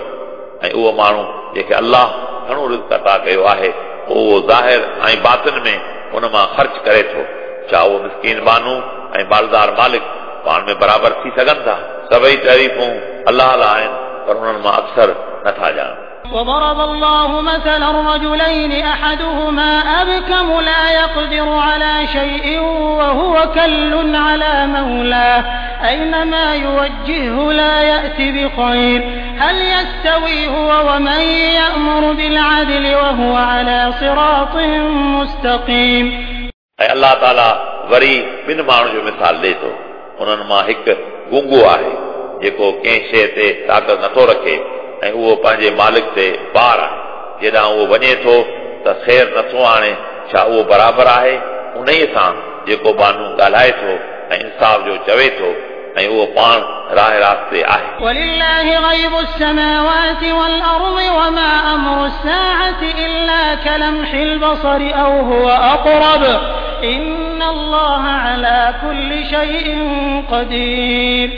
ऐं उहो माण्हू जेके अलाह घणो रिज़्क अता कयो आहे उहो ज़ाहिर ऐं बातिन में उन मां ख़र्च करे थो। छा उहो मिसकीन बानू ऐं मालदार मालिक पाण में बराबरि थी सघनि था? सभई तारीफ़ूं अलाह लाइ आहिनि, पर उन्हनि मां अक्सर नथा ॼाणनि। وضرب الله مثلا رجلين أحدهما أبكم لا يقدر على شيء وهو كل على مولاه أينما يوجهه لا يأت بخير هل يستوي هو ومن يأمر بالعدل وهو على صراط مستقيم. ऐं अलाह ताला वरी ॿिनि माण्हुनि जो मिसाल ॾिए थो। उन्हनि मां हिकु गूंगो आहे जेको कंहिं शइ ते ताक़त नथो रखे ऐं उहो पंहिंजे मालिक ते बार आहे। जेॾां उहो वञे थो त ख़ैर नथो आणे। छा उहो बराबरि आहे उन सां जेको बानू ॻाल्हाए थो ऐं इंसाफ़ जो चवे थो ऐं उहो पाण राह रास्ते आहे। ولله غيب السماوات والأرض وما أمر الساعة إلا كلمح البصر أو هو أقرب إن الله على كل شيء قدير.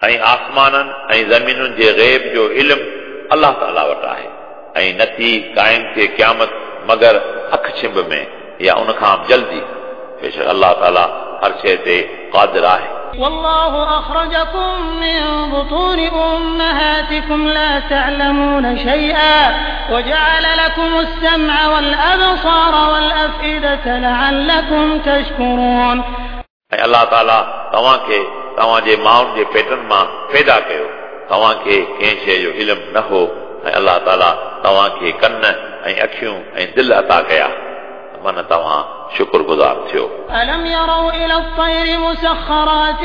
ऐं आसमाननि ऐं ज़मीनुनि जे ग़ैब जो इल्मु अलाह ताला वटि आहे ऐं नथी क़ाइम थिए क़यामत मगर अखि छिंब में या उन खां जल्दी। बेशक अलाह ताला हर शइ ते क़ादिर आहे। والله أخرجكم من بطون أمهاتكم لا تعلمون شيئا وجعل لكم السمع والأبصار والأفئدة لعلكم تشكرون. ऐं अलाह ताला तव्हांखे तव्हांजे माउनि जे पेटनि मां पैदा कयो, तव्हांखे कंहिं शइ जो इल्मु न हो ऐं अलाह ताला तव्हांखे कन ऐं अखियूं ऐं दिलि अता कया, मन तव्हां शुक्रगुज़ार थियो। ألم يروا إلى الطير مسخرات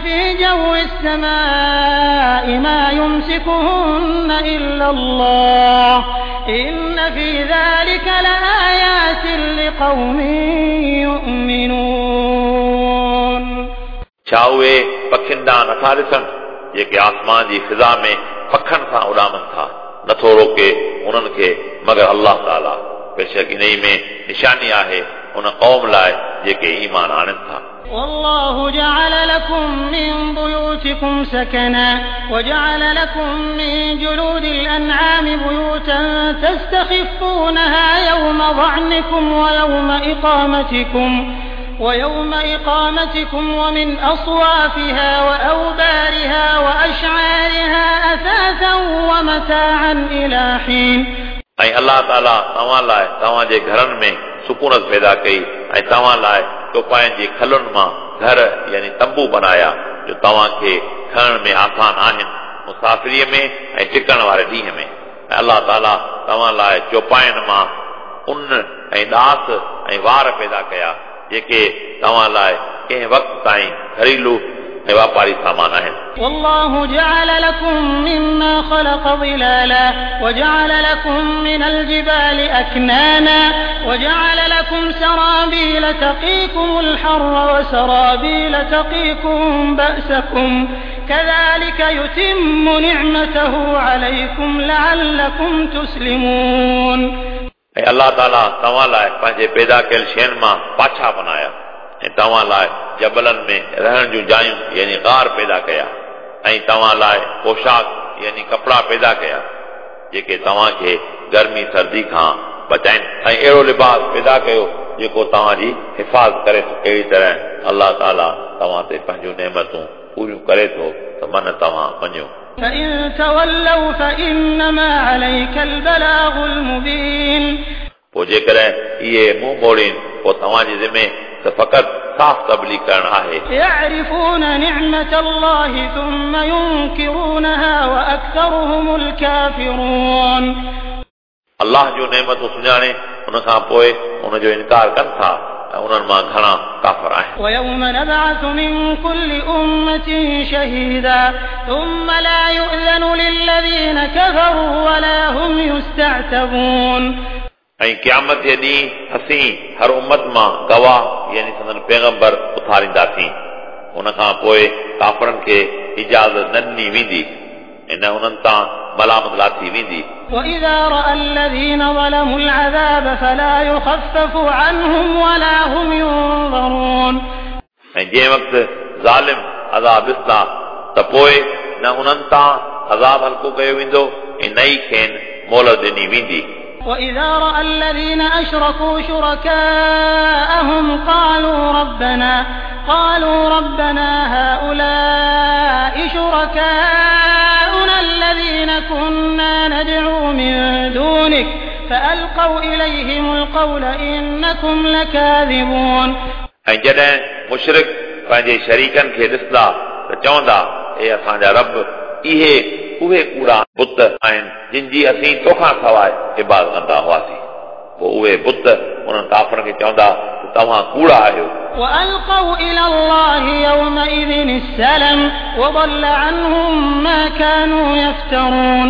في جو السماء ما يمسكهن إلا الله إن في ذلك لآيات لقوم يؤمنون. छा उहे पखियुनि ॾांहुं नथा ॾिसनि जेके आसमान जी फ़िज़ा में पखनि सां उॾामनि था? नथो रोके उन्हनि खे मगर अलाह ताला। बेशक इन में निशानी आहे उन क़ौम लाइ जेके ईमान आणनि था। والله جعل لكم من بيوتكم سكنا وجعل لكم من جلود الأنعام بيوتا تستخفونها يوم ظعنكم ويوم إقامتكم ويوم إقامتكم ومن أصوافها وأوبارها وأشعارها أثاثا ومتاعا إلى حين. ऐं अलाह ताला तव्हां लाइ तव्हांजे घरनि में सुकूनत पैदा कई ऐं तव्हां लाइ चौपाइनि जे खलुनि मां घर यानी तंबू बनाया जो तव्हांखे खणण में आसान आहिनि मुसाफ़िरीअ में ऐं टिकण वारे ॾींहं में। ऐं अलाह ताला तव्हां लाइ चौपाइनि मां उन ऐं ॾास ऐं वार पैदा कया जेके तव्हां लाइ कंहिं वक़्त ताईं घरेलू ऐं वापारी सामान आहिनि। والله جعل لكم مما خلق ظلالا وجعل لكم من الجبال أكنانا وجعل لكم سرابيل تقيكم الحر وسرابيل تقيكم بأسكم كذلك يتم نعمته عليكم لعلكم تسلمون. ऐं अलाह ताला तव्हां लाइ पंहिंजे पैदा कयल शयुनि मां पाछा बनाया ऐं तव्हां लाइ जबलनि में रहण जूं जायूं यानी गार पैदा कया ऐं तव्हां लाइ पोशाक यानी कपिड़ा पैदा कया जेके तव्हांखे गर्मी सर्दी खां बचाइनि ऐं अहिड़ो लिबास पैदा कयो जेको तव्हांजी हिफाज़त करे थो। अहिड़ी तरह अलाह ताला तव्हां ते पंहिंजूं नेमतूं पूरियूं करे थो त मन तव्हां मञो। فإن تولوا فإنما عليك البلاغ المبين. पोइ जेकॾहिं इहे मुंहुं मोड़ीनि पोइ तव्हांजे ज़िमे त फ़क़ति साफ़ तबलीग करणु आहे। يعرفون نعمة الله ثم ينكرونها وأكثرهم الكافرون. अलाह जूं नेमतूं सुञाणे उन खां पोइ उनजो इनकार कनि था ऐं उन्हनि मां घणा काफ़र आहिनि। ويوم نبعث من كل أمة شهيدا ثم لا يؤذن للذين كفروا ولا هم يستعتبون. ऐं क़यामत जे ॾींहुं असीं हर उम्मत मां गवाह यानी संदन पैगंबर उथारींदासीं। उन खां पोइ काफ़रनि खे इजाज़त न ॾिनी वेंदी ऐं न उन्हनि तां मलामत लाथी वेंदी। وإذا رأى الذين ظلموا العذاب فلا يخفف عنهم ولا هم ينظرون. ऐं जंहिं वक़्तु ज़ालिम अज़ाब ॾिसंदा त पोइ न उन्हनि तां अज़ाब हल्को कयो वेंदो ऐं न ई खेनि मोहलत ॾिनी वेंदी। وإذا رأى الذين أشركوا شركاءهم قالوا ربنا قالوا ربنا هؤلاء شركاؤنا الذين كنا ندعو من دونك فألقوا إليهم القول إنكم لكاذبون. ऐं जॾहिं मुशरिक पंहिंजे शरीकनि खे ॾिसंदा त चवंदा ए असांजा रब इहे उहे कूड़ा बुत आहिनि जिन जी असीं तोखां सवाइ इबादत कंदा हुआसीं। पोइ उहे बुत उन्हनि काफ़रनि खे चवंदा त तव्हां कूड़ा आहियो। وألقوا إلى الله يومئذ السلم وضل عنهم ما كانوا يفترون.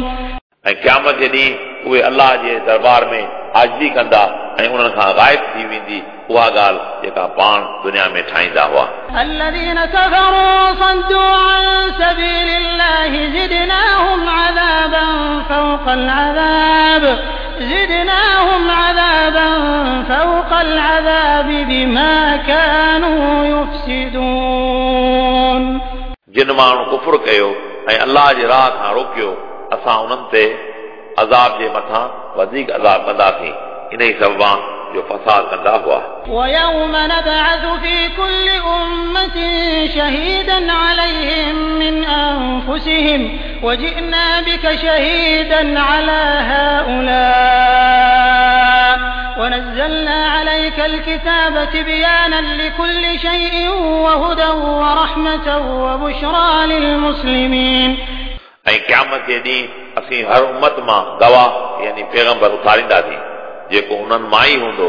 ऐं क़यामत जे ॾींहुं उहे अलाह जे दरबार में आजिज़ी कंदा ऐं उन्हनि खां ग़ाइब थी वेंदी उहा ॻाल्हि जेका पाण दुनिया में ठाहींदा हुआ। الذين كفروا وصدوا عن سبيل الله زدناهم عذابا فوق العذاب زدناهم عذابا فوق العذاب بما كانوا يفسدون. जिन माण्हू कुफुर कयो ऐं अलाह जे राह खां रोकियो असां उन्हनि ते अज़ाब जे मथां वधीक अज़ाब कंदासीं इन ई सबबा जो फसाद कंदा हुआ। ويوم نبعث في كل أمة شهيدا عليهم من أنفسهم وجئنا بك شهيدا على هؤلاء ونزلنا عليك الكتاب تبيانا لكل شيء وهدى ورحمة وبشرى للمسلمين. ऐं क़यामत जे ॾींहुं असीं हर उम्मत मां गवाह यानी पैगंबर उथारींदासीं जेको उन्हनि मां ई हूंदो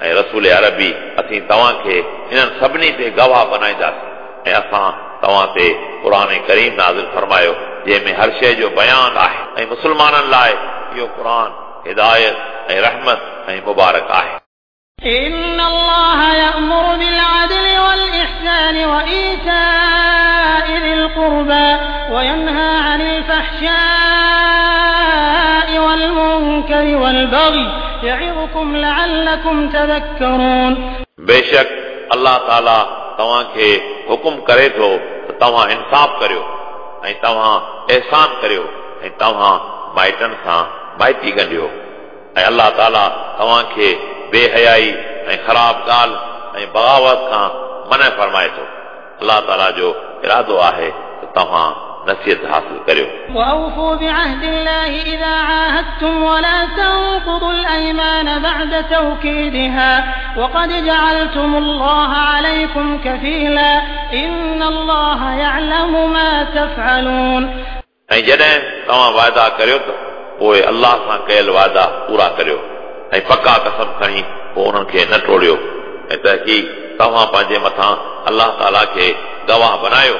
ऐं रसूल अरबी असीं तव्हांखे इन्हनि सभिनी ते गवाह बनाईंदासीं ऐं असां तव्हां ते क़ुर करीम नाज़िल फरमायो जंहिंमें हर शइ जो बयान आहे ऐं मुस्लमाननि लाइ इहो क़ुर हिदायत ऐं रहमत ऐं मुबारक आहे। إن الله يأمر بالعدل والإحسان وإيتاء ذي القربى وينهى عن الفحشاء والمنكر والبغي يعظكم لعلكم تذكرون. बेशक अलाह ताला तव्हांखे हुकुम करे थो त तव्हां इंसाफ़ करियो ऐं तव्हां एहसान करियो ऐं तव्हां माइटनि सां माइटी ॻंढियो ऐं अलाह ताला तव्हांखे बेहयाई ऐं ख़राब ॻाल्हि ऐं बग़ावत खां मना फरमाए थो। अलाह ताला जो इरादो आहे त तव्हां नसीहत हासिल करियो। وأوفوا بعهد الله إذا عاهدتم ولا تنقضوا الأيمان بعد توكيدها وقد جعلتم الله عليكم كفيلا إن الله يعلم ما تفعلون। ऐं जॾहिं तव्हां वाइदा करियो त पोइ अलाह सां कयल वाइदा पूरा करियो ऐं पका कसम खणी पोइ उन्हनि खे न टोड़ियो ऐं तहक़ीक़ तव्हां पंहिंजे मथां अलाह ताला खे गवाह बनायो।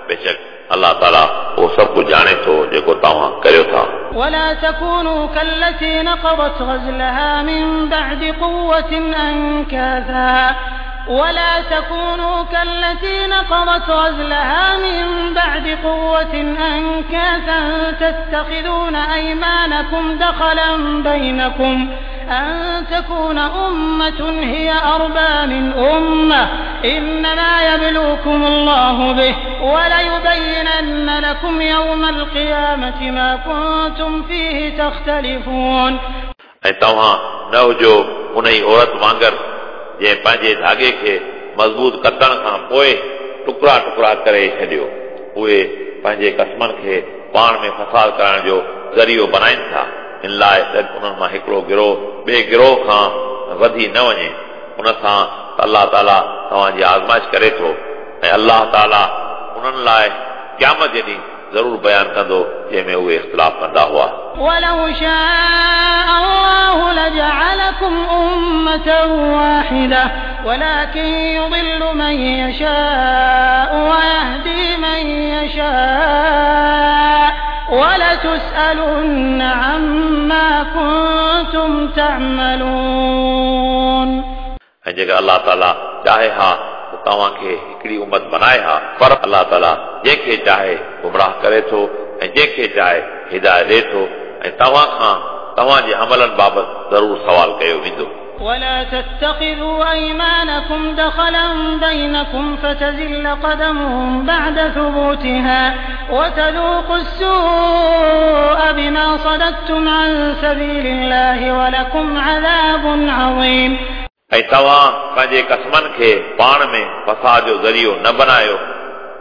बेशक अलाह ताला उहो सभु कुझु ॼाणे थो जेको तव्हां करियो था। ولا تكونوا كالتي نقضت غزلها من بعد قوة أنكاثا ولا تكونوا كالتي نقضت غزلها من بعد قوة أنكاثا تتخذون أيمانكم دخلا بينكم أن تكون أمة هي أربى من أمة إنما يبلوكم الله به وليبينن لكم يوم القيامة ما كنتم فيه تختلفون। ऐं तव्हां न हुजो उन ई औरत वांगुरु जंहिं पंहिंजे धागे खे मज़बूत कतण खां पोइ टुकड़ा टुकड़ा करे छॾियो। उहे पंहिंजे क़स्मनि खे पाण में फसाद करण जो ज़रियो बनाइनि था, इन लाइ त उन्हनि मां हिकिड़ो गिरोह ॿिए गिरोह खां वधी न वञे। उन सां अलाह ताला तव्हांजी आज़माइश करे थो ऐं अलाह ताला उन्हनि लाइ क़यामत जे ॾींहुं ज़रूर बयानु कंदो जंहिंमें उहे इख़्तिलाफ़ कंदा हुआ। ولو شاء الله لجعلكم أمة واحدة ولكن يضل من يشاء ويهدي من يشاء ولتسألن عما كنتم تعملون। ऐं जेकर अलाह ताला चाहे हा त तव्हांखे हिकिड़ी उमत बनाए हा, पर अलाह ताला जंहिंखे चाहे गुमराह करे थो ऐं जंहिंखे चाहे हिदायत ॾिए थो ऐं तव्हां खां तव्हांजे अमलनि बाबति ज़रूर सवाल कयो वेंदो। ولا تتخذوا أيمانكم دخلا بينكم فتزل قدم بعد ثبوتها وتذوقوا السوء بما صددتم عن سبيل الله ولكم عذاب عظيم। ऐं तव्हां पंहिंजे क़स्मनि खे पाण में फसाद जो ज़रियो न बनायो,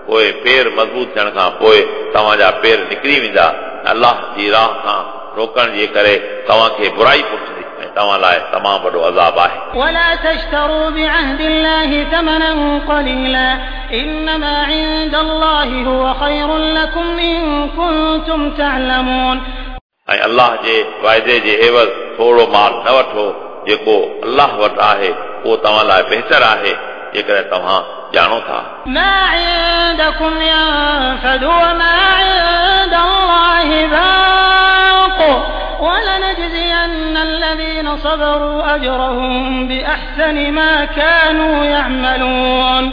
पोइ पेर मज़बूत थियण खां पोइ तव्हांजा पेर निकिरी वेंदा। अलाह जी राह खां रोकण जे करे तव्हांखे बुराई पहुचंदी ऐं तव्हां लाइ तमामु वॾो अज़ाब आहे। ولا تشتروا بعهد الله ثمنا قليلا إنما عند الله هو خير لكم إن كنتم تعلمون। ऐं अलाह जे वाइदे जे एवज़ थोरो माल न वठो, जेको अलाह वटि आहे उहो तव्हां लाइ बहितर आहे जेकॾहिं तव्हां ॼाणो था। ما عندكم ينفد وما عند الله باق ولنجزين الذين صبروا أجرهم بأحسن ما كانوا يعملون।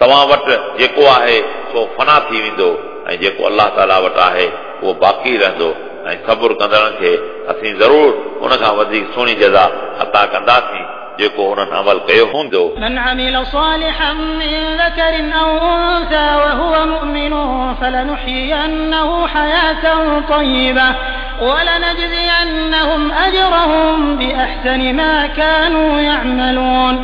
तव्हां वटि जेको आहे सो फना थी वेंदो ऐं जेको अलाह ताला वटि आहे उहो बाक़ी रहंदो ऐं सब्र कंदड़नि खे असीं ज़रूर उन खां वधीक सुहिणी जज़ा अता कंदासीं जेको उन्हनि अमल कयो हूंदो। من عمل صالحا من ذكر أو أنثى وهو مؤمن فلنحيينه حياة طيبة ولنجزينهم أجرهم بأحسن ما كانوا يعملون।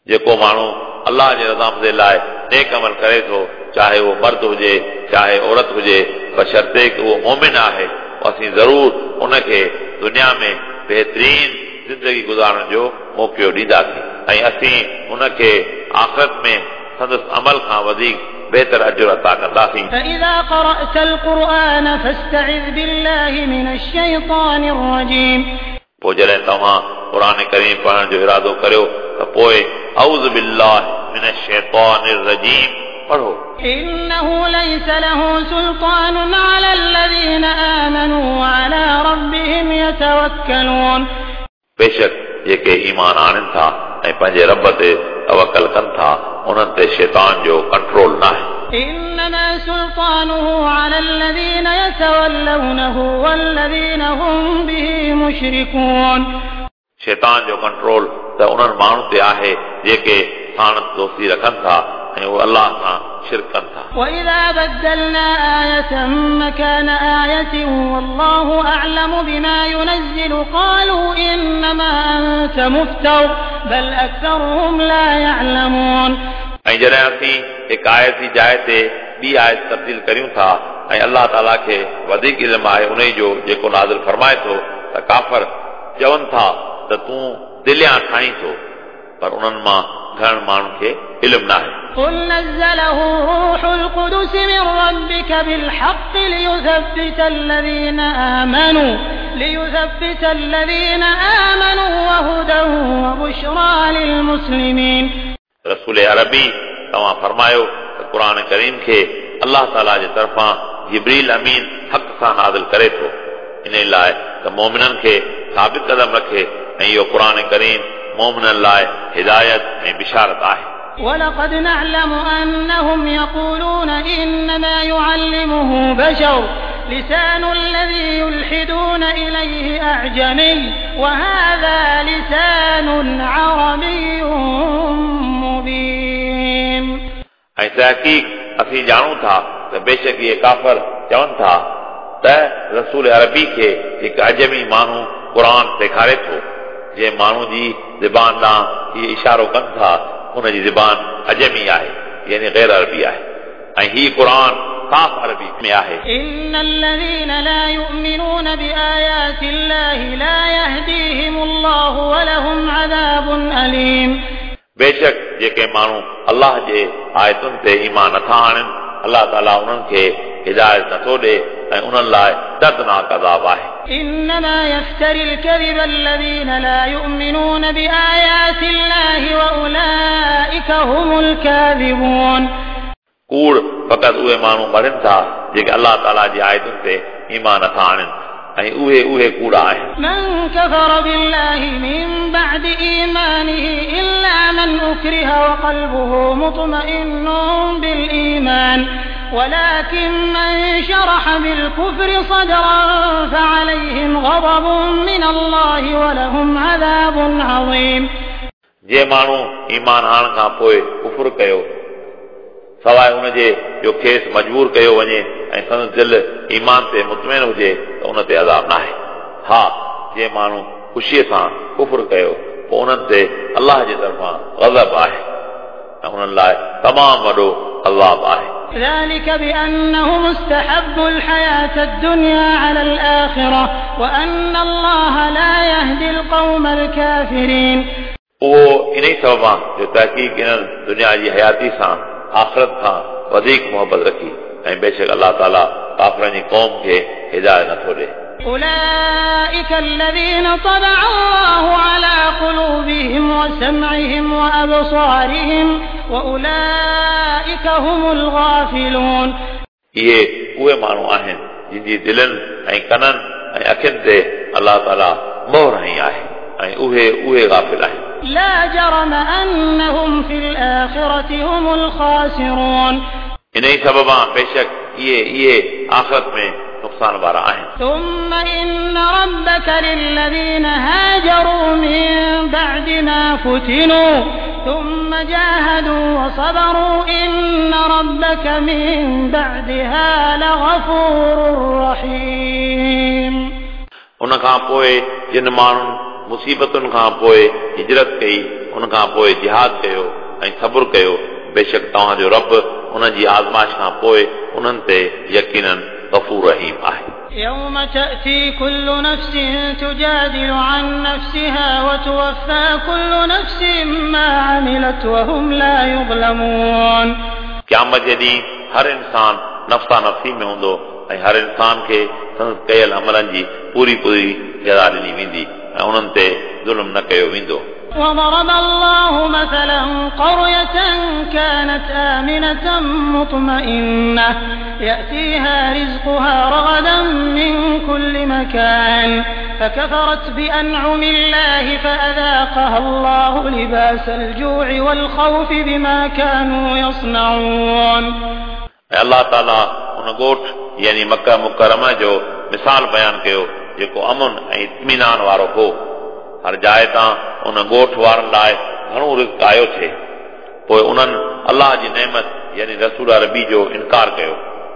जेको माण्हू अलाह जे रज़ामंदी लाइ नेक अमल करे थो, चाहे उहो मर्द हुजे चाहे औरत हुजे, बशर्ते कि उहो मोमिन आहे, असीं ज़रूर उनखे दुनिया में बहितरीन ज़िंदगी गुज़ारण जो मौक़ो ॾींदासीं ऐं असीं उनखे आख़िरत में संदसि अमल खां वधीक बहितर अजर अता कंदासीं। فإذا قرأت القرآن فاستعذ بالله من الشيطان الرجيم। पोइ जॾहिं तव्हां क़ुर करीम पढ़ण जो इरादो करियो त पोइ أعوذ بالله من الشيطان الرجيم पढ़ो। إنه ليس له سلطان على الذين آمنوا وعلى ربهم يتوكلون। बेशक जेके ईमान आणनि था ऐं पंहिंजे रब ते तवकल कनि था उन्हनि ते शैतान जो कंट्रोल न आहे। إنما سلطانه على الذين يتولونه والذين هم به مشركون। शैतान जो कंट्रोल त उन्हनि माण्हुनि ते आहे जेके साणस दोस्ती रखनि था ऐं उहे अलाह सां शिरक कनि था। وإذا بدلنا آية مكان آية والله أعلم بما ينزل قالوا إنما أنت مفتر بل أكثرهم لا يعلمون. ऐं जॾहिं असीं हिकु आयत जी जाइ ते ॿी आयत तब्दील करियूं था ऐं अलाह ताला खे वधीक इल्मु आहे उन जो जेको नाज़िल फरमाए थो त काफ़र चवनि था त तूं दिलियां ठाहीं थो, पर उन्हनि मां घणनि माण्हुनि खे इल्मु न आहे। قل نزله روح القدس من ربك بالحق ليثبت الذين آمنوا ليثبت الذين آمنوا وهدى وبشرى للمسلمين. रसूल अरबी तव्हां फरमायो त क़ुरान करीम खे अलाह ताला जे तरफ़ां जिब्रील अमीन हक़ सां नाज़िल करे थो, इन लाइ त मोमिननि खे साबित कदम रखे ऐं इहो क़ुरान करीम मोमिननि लाइ हिदायत ऐं बिशारत आहे। ولقد نعلم أنهم يقولون إنما يعلمه بشر لسان الذي يلحدون إليه أعجمي وهذا لسان عربي مبين. ऐं तहक़ीक़ असीं ॼाणूं था त बेशक इहे काफ़र चवनि था त रसूल अरबी खे हिकु अजमी माण्हू क़ुरान सेखारे थो, जंहिं माण्हू जी ज़बान ॾांहुं इहे इशारो कनि था उन जी ज़बान अजमी आहे, यानी ग़ैर अरबी आहे, ऐं हीउ क़ुरान साफ़ अरबी में आहे। إن الذين لا يؤمنون بآيات الله لا يهديهم الله ولهم عذاب أليم. बेशक जेके माण्हू अलाह जे आयतुनि ते ईमान नथा आणनि, अलाह ताला उन्हनि खे हिदायत नथो ॾे ऐं उन्हनि लाइ दर्दनाक अज़ाब आहे। إنما يفتري الكذب الذين لا يؤمنون بآيات الله وأولئك هم الكاذبون. कूड़ फ़क़ति उहे माण्हू मढ़नि था जेके अलाह ताला जी आयतुनि ते ईमान नथा आणनि ऐं उहे उहे कूड़ा आहिनि। من كفر بالله من بعد إيمانه إلا من أكره وقلبه مطمئن بالإيمان ولكن من شرح بالكفر صدرا فعليهم غضب من الله ولهم عذاب عظيم. जे माण्हू ईमान आणण खां पोइ कुफुर कयो, सवाइ उनजे जो खेसि मजबूर कयो वञे ऐं संदसि दिलि ईमान ते मुतमिन हुजे त उन ते अज़ाब न आहे। हा, जे माण्हू ख़ुशीअ सां कुफुर कयो पोइ उन्हनि ते अलाह जे तरफ़ां ग़ज़ब आहे ऐं उन्हनि लाइ तमामु वॾो अज़ाब आहे। ذلك بأنهم استحبوا الحياة الدنيا على الآخرة وأن الله لا يهدي القوم الكافرين. उहो इन ई सबब आहे जो तहक़ीक़ इन्हनि दुनिया जी हयाती सां आख़िरत खां वधीक मोहबत रखी ऐं बेशक अलाह ताला काफ़रनि जी क़ौम खे हिदायत नथो ॾे। أولئك الذين طبع الله على قلوبهم وسمعهم وأبصارهم وأولئك هم الغافلون. इहे उहे माण्हू आहिनि जिन जी दिलनि ऐं कननि ऐं अखियुनि ते अलाह ताला मोहर हई आहे ऐं उहे उहे गाफ़िल आहिनि। لا جرم أنهم في الآخرة هم الخاسرون. इन ई सबब बेशक इहे इहे आख़िरत में नुक़सान वारा आहिनि। ثم إن ربك للذين هاجروا من بعد ما فتنوا ثم جاهدوا وصبروا إن ربك من بعدها لغفور رحيم. उन खां पोइ जिन माण्हुनि मुसीबतुनि खां पोइ हिजरत कई, उन खां पोइ जिहाद कयो ऐं सब्र कयो, बेशक तव्हांजो रब उन जी आज़माइश खां पोइ उन्हनि ते यकीनन गफ़ूर रहीम आहे। يوم تأتي كل نفس تجادل عن نفسها وتوفى كل نفس ما عملت وهم لا يظلمون. क़यामत जे ॾींहुं हर इंसान नफ़्सा नफ़्सी में हूंदो ऐं हर इंसान खे संदसि कयल अमलनि जी पूरी पूरी जज़ा ॾिनी वेंदी ऐं उन्हनि ते ज़ुल्म न कयो वेंदो। وضرب الله مثلا قرية كانت آمنة مطمئنة يأتيها رزقها رغدا من كل مكان فكفرت بأنعم الله فأذاقها الله لباس الجوع والخوف بما كانوا يصنعون. ऐं अलाह ताला उन ॻोठ यानी मक्का मुकरमा जो मिसाल बयानु कयो जेको अमन ऐं इत्मीनान वारो हो। हर जाइ तां उन ॻोठ वारनि लाइ घणो रिज़्क आयो थिए, पोइ उन्हनि अलाह जी नेमत यानी रसूल अरबी जो इनकार कयो।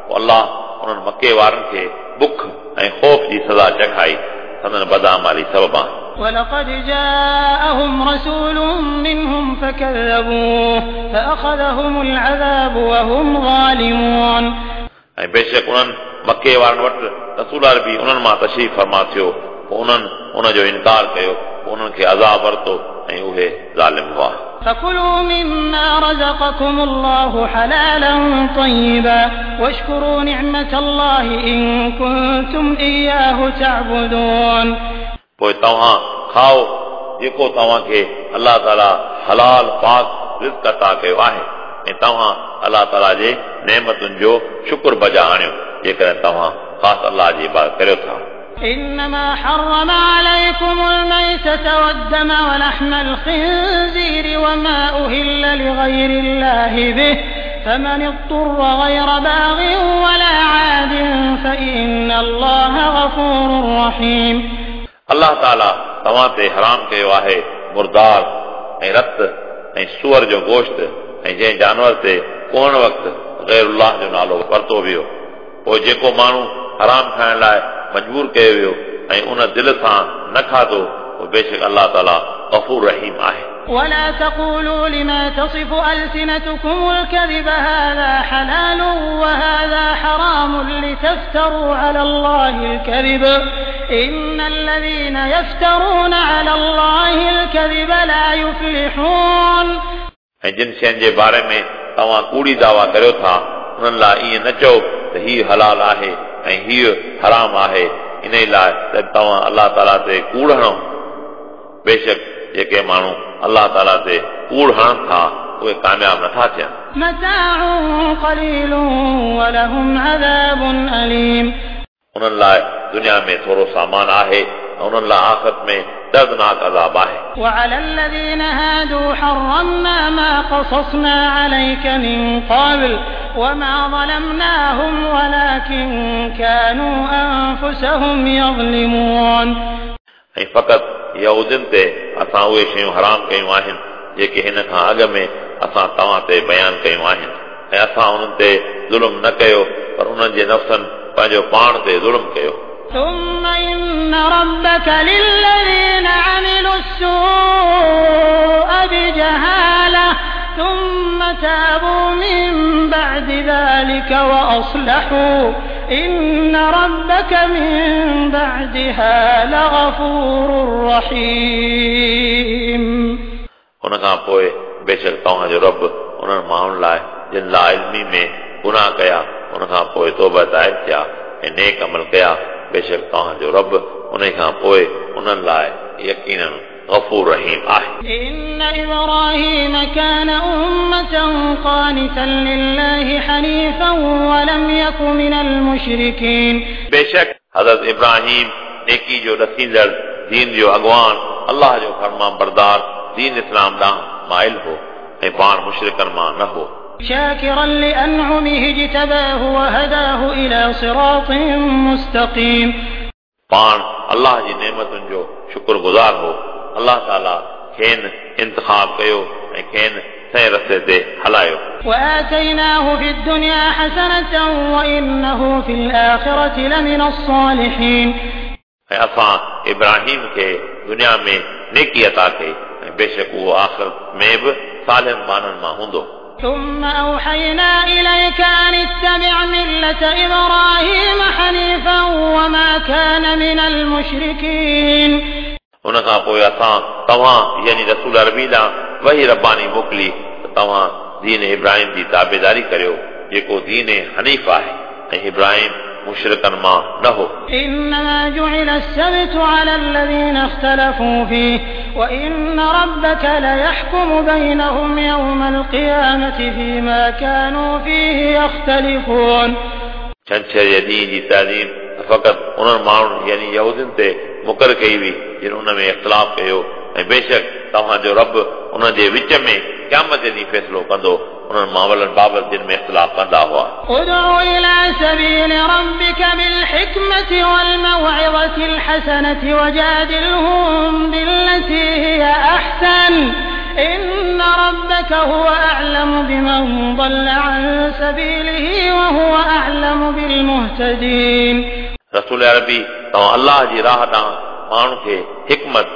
पोइ अलाह उन्हनि मक्के वारनि खे बुख ऐं ख़ौफ़ जी सज़ा चखाई संदन बदामाली सबबां। ولقد جاءهم رسول منهم فكذبوه فأخذهم العذاب وهم ظالمون. ऐं बेशक उन्हनि मके वारनि वटि रसूल अरबी उन्हनि मां तशरीफ़ फरमा थियो, पोइ उन्हनि उन जो इनकार कयो, पोइ उन्हनि खे अज़ाब वरितो ऐं उहे ज़ालिम हुआ। فكلوا مما رزقكم الله حلالا طيبا واشكروا نعمة الله إن كنتم إياه تعبدون. पोइ तव्हां खाओ जेको तव्हांखे अलाह ताला हलाल पाक रिज़्क अता कयो आहे ऐं तव्हां अलाह ताला जे नेमतुनि जो शुक्र बजा आणियो जेकॾहिं तव्हां ख़ासि अलाह जी इबादत करियो था। إنما حرم عليكم الميتة والدم ولحم الخنزير وما أهل لغير الله به فمن اضطر غير باغ ولا عاد فإن الله غفور رحيم. अलाह ताला तव्हां ते हराम कयो आहे मुर्दार ऐं रत ऐं सूअर जो गोश्त ऐं जंहिं जानवर ते कोहण वक़्तु ग़ैरुल्लाह जो नालो वरितो वियो, पोइ जेको माण्हू हराम खाइण लाइ मजबूर कयो वियो ऐं उन दिलि सां न खाधो, पोइ बेशक अलाह ताला गफ़ूर रहीम आहे। ولا تقولوا لما تصف ألسنتكم الكذب هذا حلال وهذا حرام لتفتروا على الله الكذب إن الذين يفترون على الله الكذب لا يفلحون. ऐं जिन शयुनि जे बारे में तव्हां कूड़ी दावा करियो था उन्हनि लाइ ईअं न चओ त हीउ हलाल आहे ऐं हीउ हराम आहे, इन लाइ त तव्हां अलाह ताला ते कूड़ हणो। बेशक जेके माण्हू अलाह ताला ते कूड़ हणनि था उहे कामयाब नथा थियनि। متاع قليل ولهم عذاب أليم. उन्हनि लाइ दुनिया में थोरो सामान आहे ऐं उन्हनि लाइ आख़िरत में दर्दनाक अज़ाब आहे। وعلى الذين هادوا حرمنا ما قصصنا عليك من قبل وما ظلمناهم ولكن كانوا أنفسهم يظلمون. ऐं फ़क़ति यहूदियुनि ते असां उहे शयूं हराम कयूं आहिनि जेके हिन खां अॻु में असां तव्हां ते बयानु कयूं आहिनि, ऐं असां उन्हनि ते ज़ुल्म न कयो पर उन्हनि जे नफ़्सनि पंहिंजो पाण ते ज़ुल्म कयो। ثم إن ربك للذين عملوا السوء بجهالة ثم تابوا من بعد ذلك وأصلحوا إن ربك من بعدها لغفور رحيم. उन खां पोइ बेशक तव्हांजो रब उन्हनि माण्हुनि लाइ जिन लाइल्मी में गुनाह कया उन खां पोइ तौबा ताइब थिया ऐं नेक अमल कया, बेशक तव्हांजो रब उन खां पोइ उन्हनि लाइ यकीनन गफ़ूर रहीम आहे। إن إبراهيم كان أمة قانتا لله حنيفا ولم يك من المشركين. बेशक हज़रत इब्राहिम नेकी जो ॾसींदड़, दीन जो अॻवान, अलाह जो फरमा बरदार, दीन इस्लाम ॾांहुं माइल हो ऐं पाण मुशरिकनि मां न हो। شاكرا لأنعمه اجتباه وهداه إلى صراط مستقيم. पाण अलाह जी नेमतुनि जो शुक्रगुज़ार हो, अलाह ताला खेनि इंतिखाब कयो ऐं खेनि सही रस्ते ते हलायो। وآتيناه في الدنيا حسنة وإنه في الآخرة لمن الصالحين. ऐं असां इब्राहिम खे दुनिया में नेकी अता कई ऐं बेशक उहो आख़िरत में बि सालिम बाननि मां हूंदो। ثم أوحينا إليك أن اتبع ملة إبراهيم حنيفا وما كان من المشركين. उन खां पोइ असां तव्हां यानी रसूल अरबी ॾांहुं वही रब्बानी मोकिली त तव्हां दीन इब्राहिम जी ताबेदारी करियो जेको दीन हनीफ़ आहे ऐं इब्राहिम मुशरिकनि मां न हो। إنما جعل السبت على الذين اختلفوا فيه وإن ربك ليحكم بينهم يوم القيامة فيما كانوا فيه يختلفون. छंछर जे ॾींहं जी ताज़ीम फ़क़ति उन्हनि माण्हुनि यानी यहूदियुनि ते मुक़ररु कई हुई जिन उन में इख़्तिलाफ़ कयो, ऐं बेशक तव्हांजो रब उन्हनि जे विच में क़यामत जे ॾींहुं फ़ैसिलो कंदो उन्हनि मामलनि बाबति जिन में इख़्तिलाफ़ कंदा हुआ। ادع إلى سبيل ربك بالحكمة والموعظة الحسنة وجادلهم بالتي هي أحسن إن ربك هو أعلم بمن ضل عن سبيله وهو أعلم بالمهتدين. रसूल अरबी तव्हां अलाह जी राह ॾांहुं माण्हुनि खे हिकमत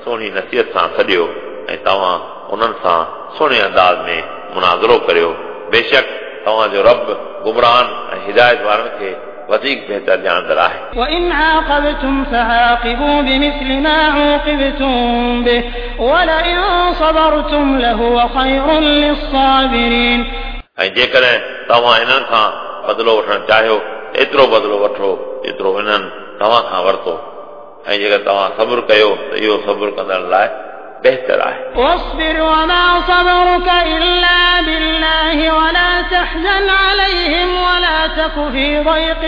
सुहिणी नसीहत सां सॾियो ऐं तव्हां उन्हनि सां सुहिणे अंदाज़ में मुनाज़रो करियो। बेशक तव्हांजो रब गुमरान ऐं हिदायत वारनि खे वधीक बहितर ॼाणंदड़ आहे। وإن عاقبتم فعاقبوا بمثل ما عوقبتم به ولئن صبرتم لهو خير للصابرين। ऐं जेकॾहिं तव्हां इन्हनि खां बदिलो वठणु चाहियो एतिरो बदिलो वठो जेतिरो इन्हनि तव्हां खां वरितो, ऐं जेकर तव्हां सब्र कयो त इहो सब्र कंदड़ लाइ बहितर आहे। واصبر وما صبرك إلا بالله ولا تحزن عليهم ولا تك في ضيق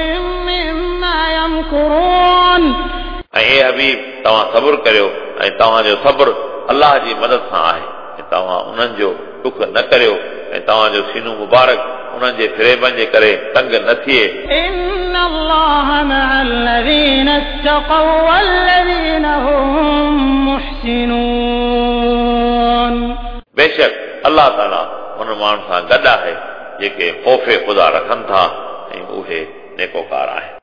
مما يمكرون। ऐं ए हबीब तव्हां सब्र करियो ऐं तव्हांजो सब्र अलाह जी मदद सां आहे, ऐं तव्हां उन्हनि जो ॾुख न करियो ऐं तव्हांजो सीनो मुबारक उन्हनि जे फ़रेबनि जे करे तंग न थिए। إن الله مع الذين اتقوا والذين هم محسنون। बेशक अलाह ताला उन माण्हुनि सां गॾु आहे जेके ख़ौफ़ ख़ुदा रखनि था ऐं उहे नेकोकार आहिनि।